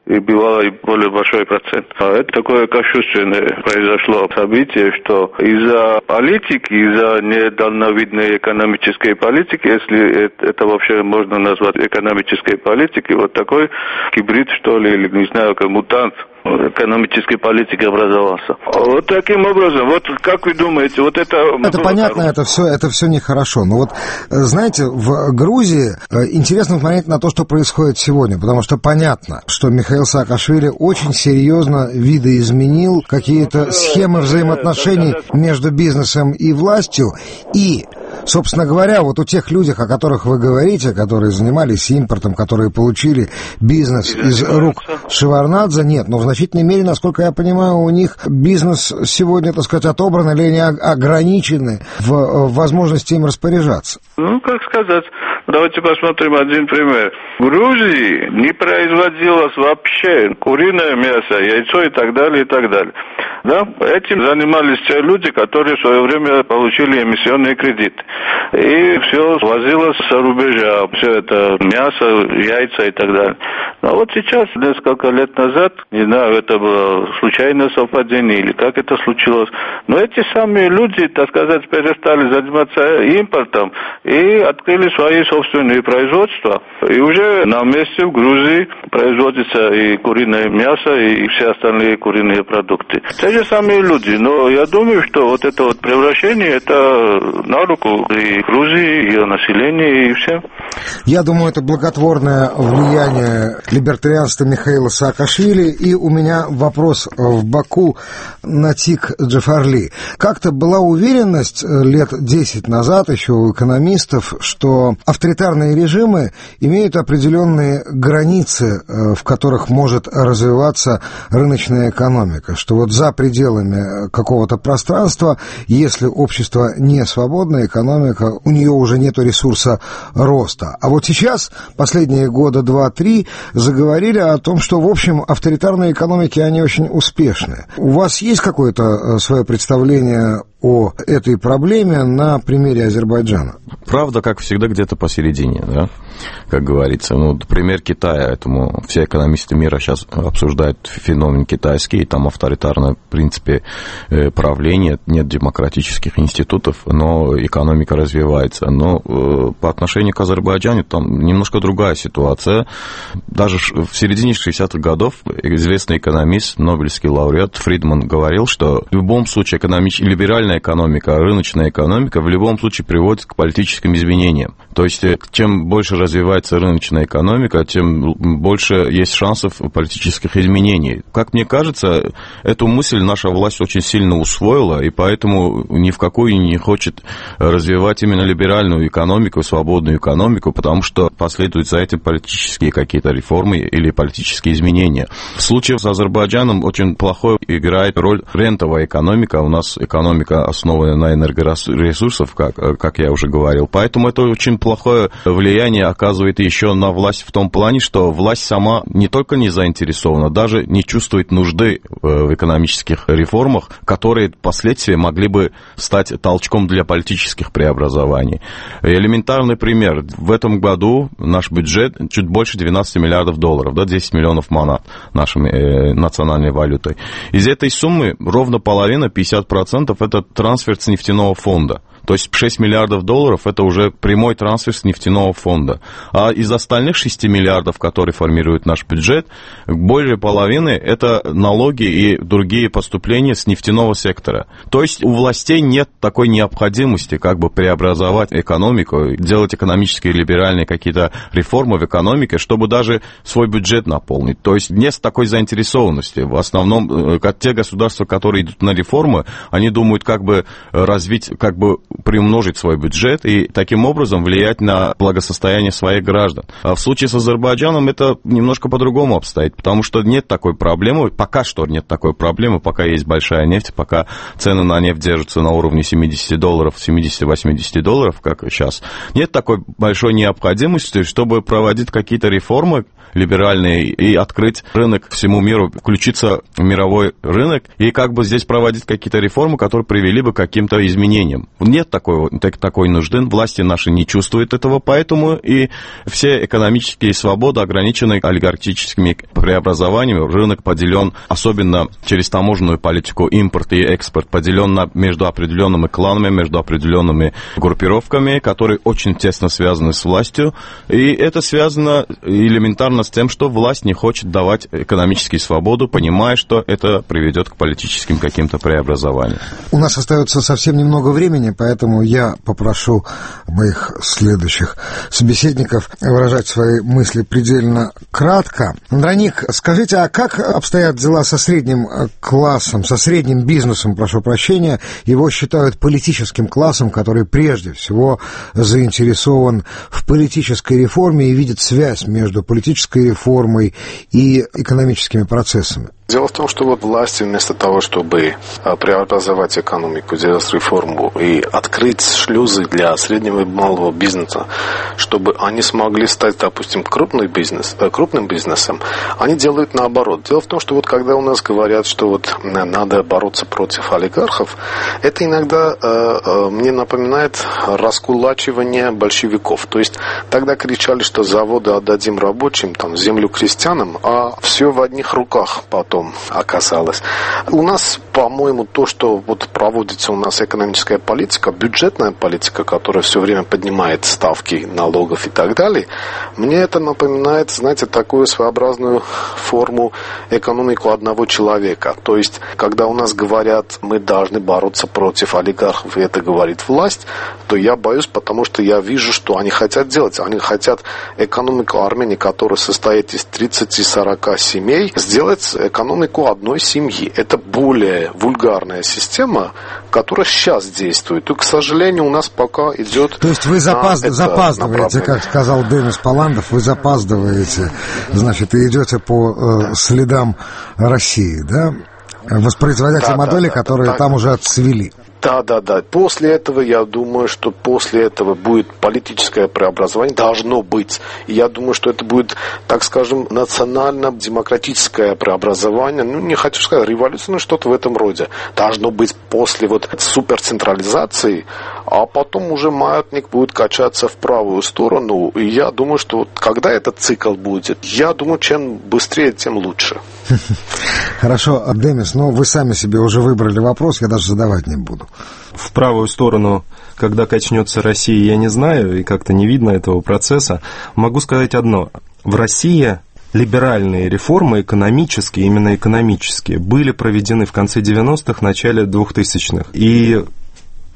И было и более большой процент. Это такое кощунственное произошло событие, что из-за политики, из-за недальновидной экономической политики, если это вообще можно назвать экономической политикой, вот такой гибрид, что ли, или не знаю, как мутант экономической политики образовался. Вот таким образом, вот как вы думаете, вот это... Это понятно, это все нехорошо. Но вот, знаете, в Грузии интересно смотреть на то, что происходит сегодня, потому что понятно, что Михаил Саакашвили очень серьезно видоизменил какие-то схемы взаимоотношений между бизнесом и властью, и Собственно говоря, вот у тех людей, о которых вы говорите, которые занимались импортом, которые получили бизнес из рук Шеварднадзе, нет, но в значительной мере, насколько я понимаю, у них бизнес сегодня, так сказать, отобран или они ограничены в возможности им распоряжаться. Ну, как сказать, давайте посмотрим один пример. В Грузии не производилось вообще куриное мясо, яйцо и так далее, и так далее. Да? Этим занимались те люди, которые в свое время получили эмиссионные кредиты. И все возилось с рубежа, все это мясо, яйца и так далее. Но вот сейчас, несколько лет назад, не знаю, это было случайное совпадение или как это случилось, но эти самые люди, так сказать, перестали заниматься импортом и открыли свои собственные производства. И уже на месте в Грузии производится и куриное мясо, и все остальные куриные продукты. Те же самые люди, но я думаю, что вот это вот превращение, это на руку и Грузии, и ее населению, и всем. Я думаю, это благотворное влияние либертарианства Михаила Саакашвили. И у меня вопрос в Баку Натик Джафарли. Как-то была уверенность лет 10 назад еще у экономистов, что авторитарные режимы имеют определенные границы, в которых может развиваться рыночная экономика, что вот за пределами какого-то пространства, если общество не свободное, экономика, у нее уже нет ресурса роста. А вот сейчас, последние года 2-3, заговорили о том, что, в общем, авторитарные экономики, они очень успешны. У вас есть какое-то свое представление о этой проблеме на примере Азербайджана? Правда, как всегда, где-то посередине, да, как говорится. Ну, пример Китая, этому все экономисты мира сейчас обсуждают феномен китайский, там авторитарное, в принципе, правление, нет демократических институтов, но экономика развивается. Но по отношению к Азербайджану там немножко другая ситуация. Даже в середине 60-х годов известный экономист, нобелевский лауреат Фридман говорил, что в любом случае либеральная экономика, рыночная экономика в любом случае приводит к политическим изменениям. То есть, чем больше развивается рыночная экономика, тем больше есть шансов политических изменений. Как мне кажется, эту мысль наша власть очень сильно усвоила, и поэтому ни в какую не хочет развивать именно либеральную экономику, свободную экономику, потому что последуют за этим политические какие-то реформы или политические изменения. В случае с Азербайджаном очень плохой играет роль рентовая экономика. У нас экономика основанная на энергоресурсах, как я уже говорил. Поэтому это очень плохое влияние оказывает еще на власть в том плане, что власть сама не только не заинтересована, даже не чувствует нужды в экономических реформах, которые впоследствии могли бы стать толчком для политических преобразований. Элементарный пример. В этом году наш бюджет чуть больше 12 миллиардов долларов, да, 10 миллионов манат нашей национальной валютой. Из этой суммы ровно половина, 50%, это трансфер с нефтяного фонда. То есть 6 миллиардов долларов – это уже прямой трансфер с нефтяного фонда. А из остальных 6 миллиардов, которые формируют наш бюджет, более половины – это налоги и другие поступления с нефтяного сектора. То есть у властей нет такой необходимости как бы преобразовать экономику, делать экономические либеральные какие-то реформы в экономике, чтобы даже свой бюджет наполнить. То есть нет такой заинтересованности. В основном те государства, которые идут на реформы, они думают как бы развить, как бы приумножить свой бюджет и таким образом влиять на благосостояние своих граждан. А в случае с Азербайджаном это немножко по-другому обстоит, потому что нет такой проблемы, пока что нет такой проблемы, пока есть большая нефть, пока цены на нефть держатся на уровне $70, 70-80 долларов, как сейчас. Нет такой большой необходимости, чтобы проводить какие-то реформы либеральные и открыть рынок всему миру, включиться в мировой рынок и как бы здесь проводить какие-то реформы, которые привели бы к каким-то изменениям. Нет такой нужды, власти наши не чувствуют этого, поэтому и все экономические свободы ограничены олигархическими преобразованиями. Рынок поделен, особенно через таможенную политику, импорт и экспорт, поделен между определенными кланами, между определенными группировками, которые очень тесно связаны с властью. И это связано элементарно с тем, что власть не хочет давать экономические свободы, понимая, что это приведет к политическим каким-то преобразованиям. У нас остается совсем немного времени, поэтому поэтому я попрошу моих следующих собеседников выражать свои мысли предельно кратко. Андроник, скажите, а как обстоят дела со средним классом, со средним бизнесом, прошу прощения? Его считают политическим классом, который прежде всего заинтересован в политической реформе и видит связь между политической реформой и экономическими процессами. Дело в том, что вот власти вместо того, чтобы преобразовать экономику, сделать реформу и открыть шлюзы для среднего и малого бизнеса, чтобы они смогли стать, допустим, крупным бизнесом, они делают наоборот. Дело в том, что вот когда у нас говорят, что вот надо бороться против олигархов, это иногда мне напоминает раскулачивание большевиков. То есть тогда кричали, что заводы отдадим рабочим, там, землю крестьянам, а все в одних руках потом оказалось. У нас, по-моему, то, что вот проводится у нас экономическая политика, бюджетная политика, которая все время поднимает ставки налогов и так далее, мне это напоминает, знаете, такую своеобразную форму экономику одного человека. То есть, когда у нас говорят, мы должны бороться против олигархов, и это говорит власть, то я боюсь, потому что я вижу, что они хотят делать. Они хотят экономику Армении, которая состоит из 30-40 семей, сделать экономику одной семьи. Это более вульгарная система, которая сейчас действует. И, к сожалению, у нас пока идет... То есть вы запаздываете, как сказал Денис Паландов, вы запаздываете, значит, и идете по следам России, да? Воспроизводя те модели, которые там уже отцвели. Да. После этого, я думаю, что после этого будет политическое преобразование, должно быть. И я думаю, что это будет, так скажем, национально-демократическое преобразование. Ну, не хочу сказать революция, но что-то в этом роде. Должно быть после вот суперцентрализации, а потом уже маятник будет качаться в правую сторону. И я думаю, что вот когда этот цикл будет, я думаю, чем быстрее, тем лучше. Хорошо, Демис, но вы сами себе уже выбрали вопрос, я даже задавать не буду. В правую сторону, когда качнется Россия, я не знаю, и как-то не видно этого процесса. Могу сказать одно. В России либеральные реформы экономические, именно экономические, были проведены в конце 90-х, начале 2000-х. И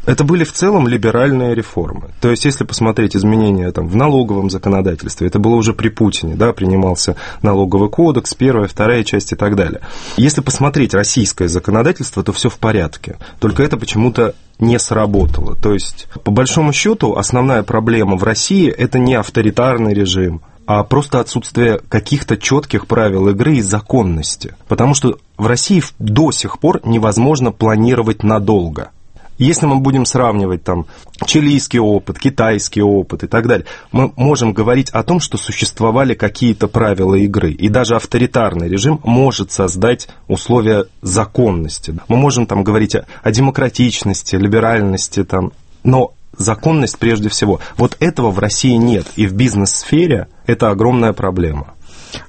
это были в целом либеральные реформы. То есть, если посмотреть изменения там, в налоговом законодательстве, это было уже при Путине, да, принимался налоговый кодекс, первая, вторая часть и так далее. Если посмотреть российское законодательство, то все в порядке. Только это почему-то не сработало. То есть, по большому счету, основная проблема в России – это не авторитарный режим, а просто отсутствие каких-то четких правил игры и законности. Потому что в России до сих пор невозможно планировать надолго. Если мы будем сравнивать там чилийский опыт, китайский опыт и так далее, мы можем говорить о том, что существовали какие-то правила игры. И даже авторитарный режим может создать условия законности. Мы можем там говорить о демократичности, либеральности, там, но законность прежде всего. Вот этого в России нет. И в бизнес-сфере это огромная проблема.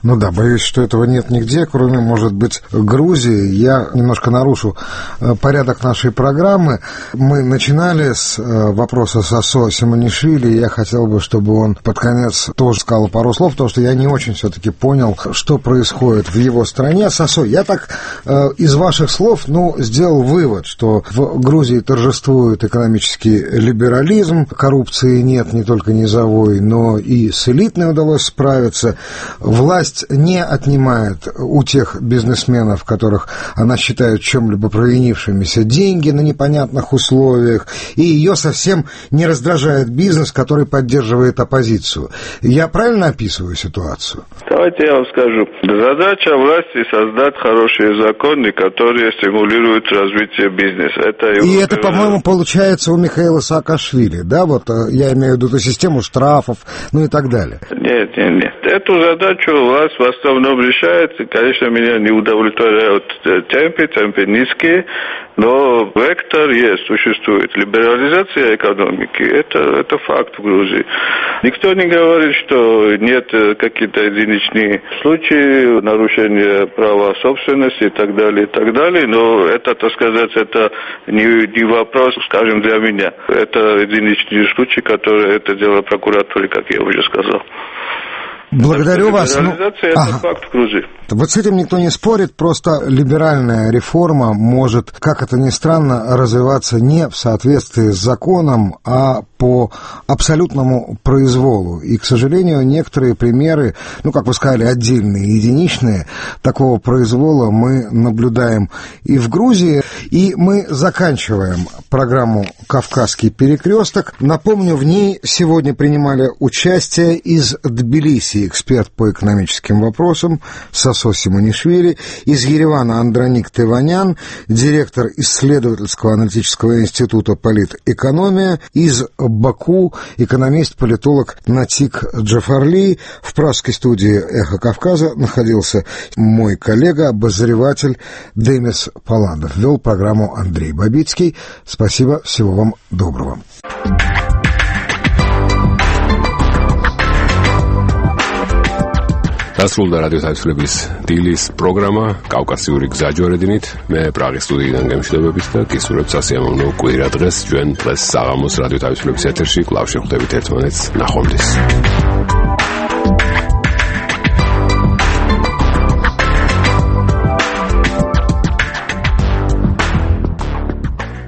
Ну да, боюсь, что этого нет нигде, кроме, может быть, Грузии. Я немножко нарушу порядок нашей программы. Мы начинали с вопроса Сосо Симонишвили, и я хотел бы, чтобы он под конец тоже сказал пару слов, потому что я не очень все-таки понял, что происходит в его стране. Сосо, я так из ваших слов, сделал вывод, что в Грузии торжествует экономический либерализм, коррупции нет не только низовой, но и с элитной удалось справиться. Власть не отнимает у тех бизнесменов, которых она считает чем-либо провинившимися, деньги на непонятных условиях, и ее совсем не раздражает бизнес, который поддерживает оппозицию. Я правильно описываю ситуацию? Давайте я вам скажу. Задача власти создать хорошие законы, которые стимулируют развитие бизнеса. Это, по-моему, получается у Михаила Саакашвили, да? Вот я имею в виду эту систему штрафов, и так далее. Нет. Эту задачу власть в основном решает, и, конечно, меня не удовлетворяют темпы низкие, но вектор существует. Либерализация экономики, это факт в Грузии. Никто не говорит, что нет какие-то единичные случаи нарушения права собственности и так далее, но это, так сказать, это не вопрос, скажем, для меня. Это единичные случаи, которые это дело прокуратуры, как я уже сказал. Благодарю вас. Это факт в Грузии. Вот с этим никто не спорит, просто либеральная реформа может, как это ни странно, развиваться не в соответствии с законом, а по абсолютному произволу. И, к сожалению, некоторые примеры, как вы сказали, отдельные, единичные, такого произвола мы наблюдаем и в Грузии. И мы заканчиваем программу «Кавказский перекресток». Напомню, в ней сегодня принимали участие из Тбилиси эксперт по экономическим вопросам Сосо Симонишвили, из Еревана Андроник Теванян, директор исследовательского аналитического института «Политэкономия», из Баку экономист-политолог Натик Джафарли. В пражской студии «Эхо Кавказа» находился мой коллега, обозреватель Демис Паладов. Вел программу Андрей Бабицкий. Спасибо, всего вам доброго. დასრულდა რადიო თავისუფლების დილის პროგრამა კავკასიური გზაჯვარედინით. მე პრაღის სტუდიიდან გემშვიდობებით და გისურვებთ სასიამოვნო კვირა დღეს. ჩვენ დღეს საღამოს რადიო თავისუფლების ეთერში კვლავ შევხვდებით ერთმანეთს. ნახვამდის.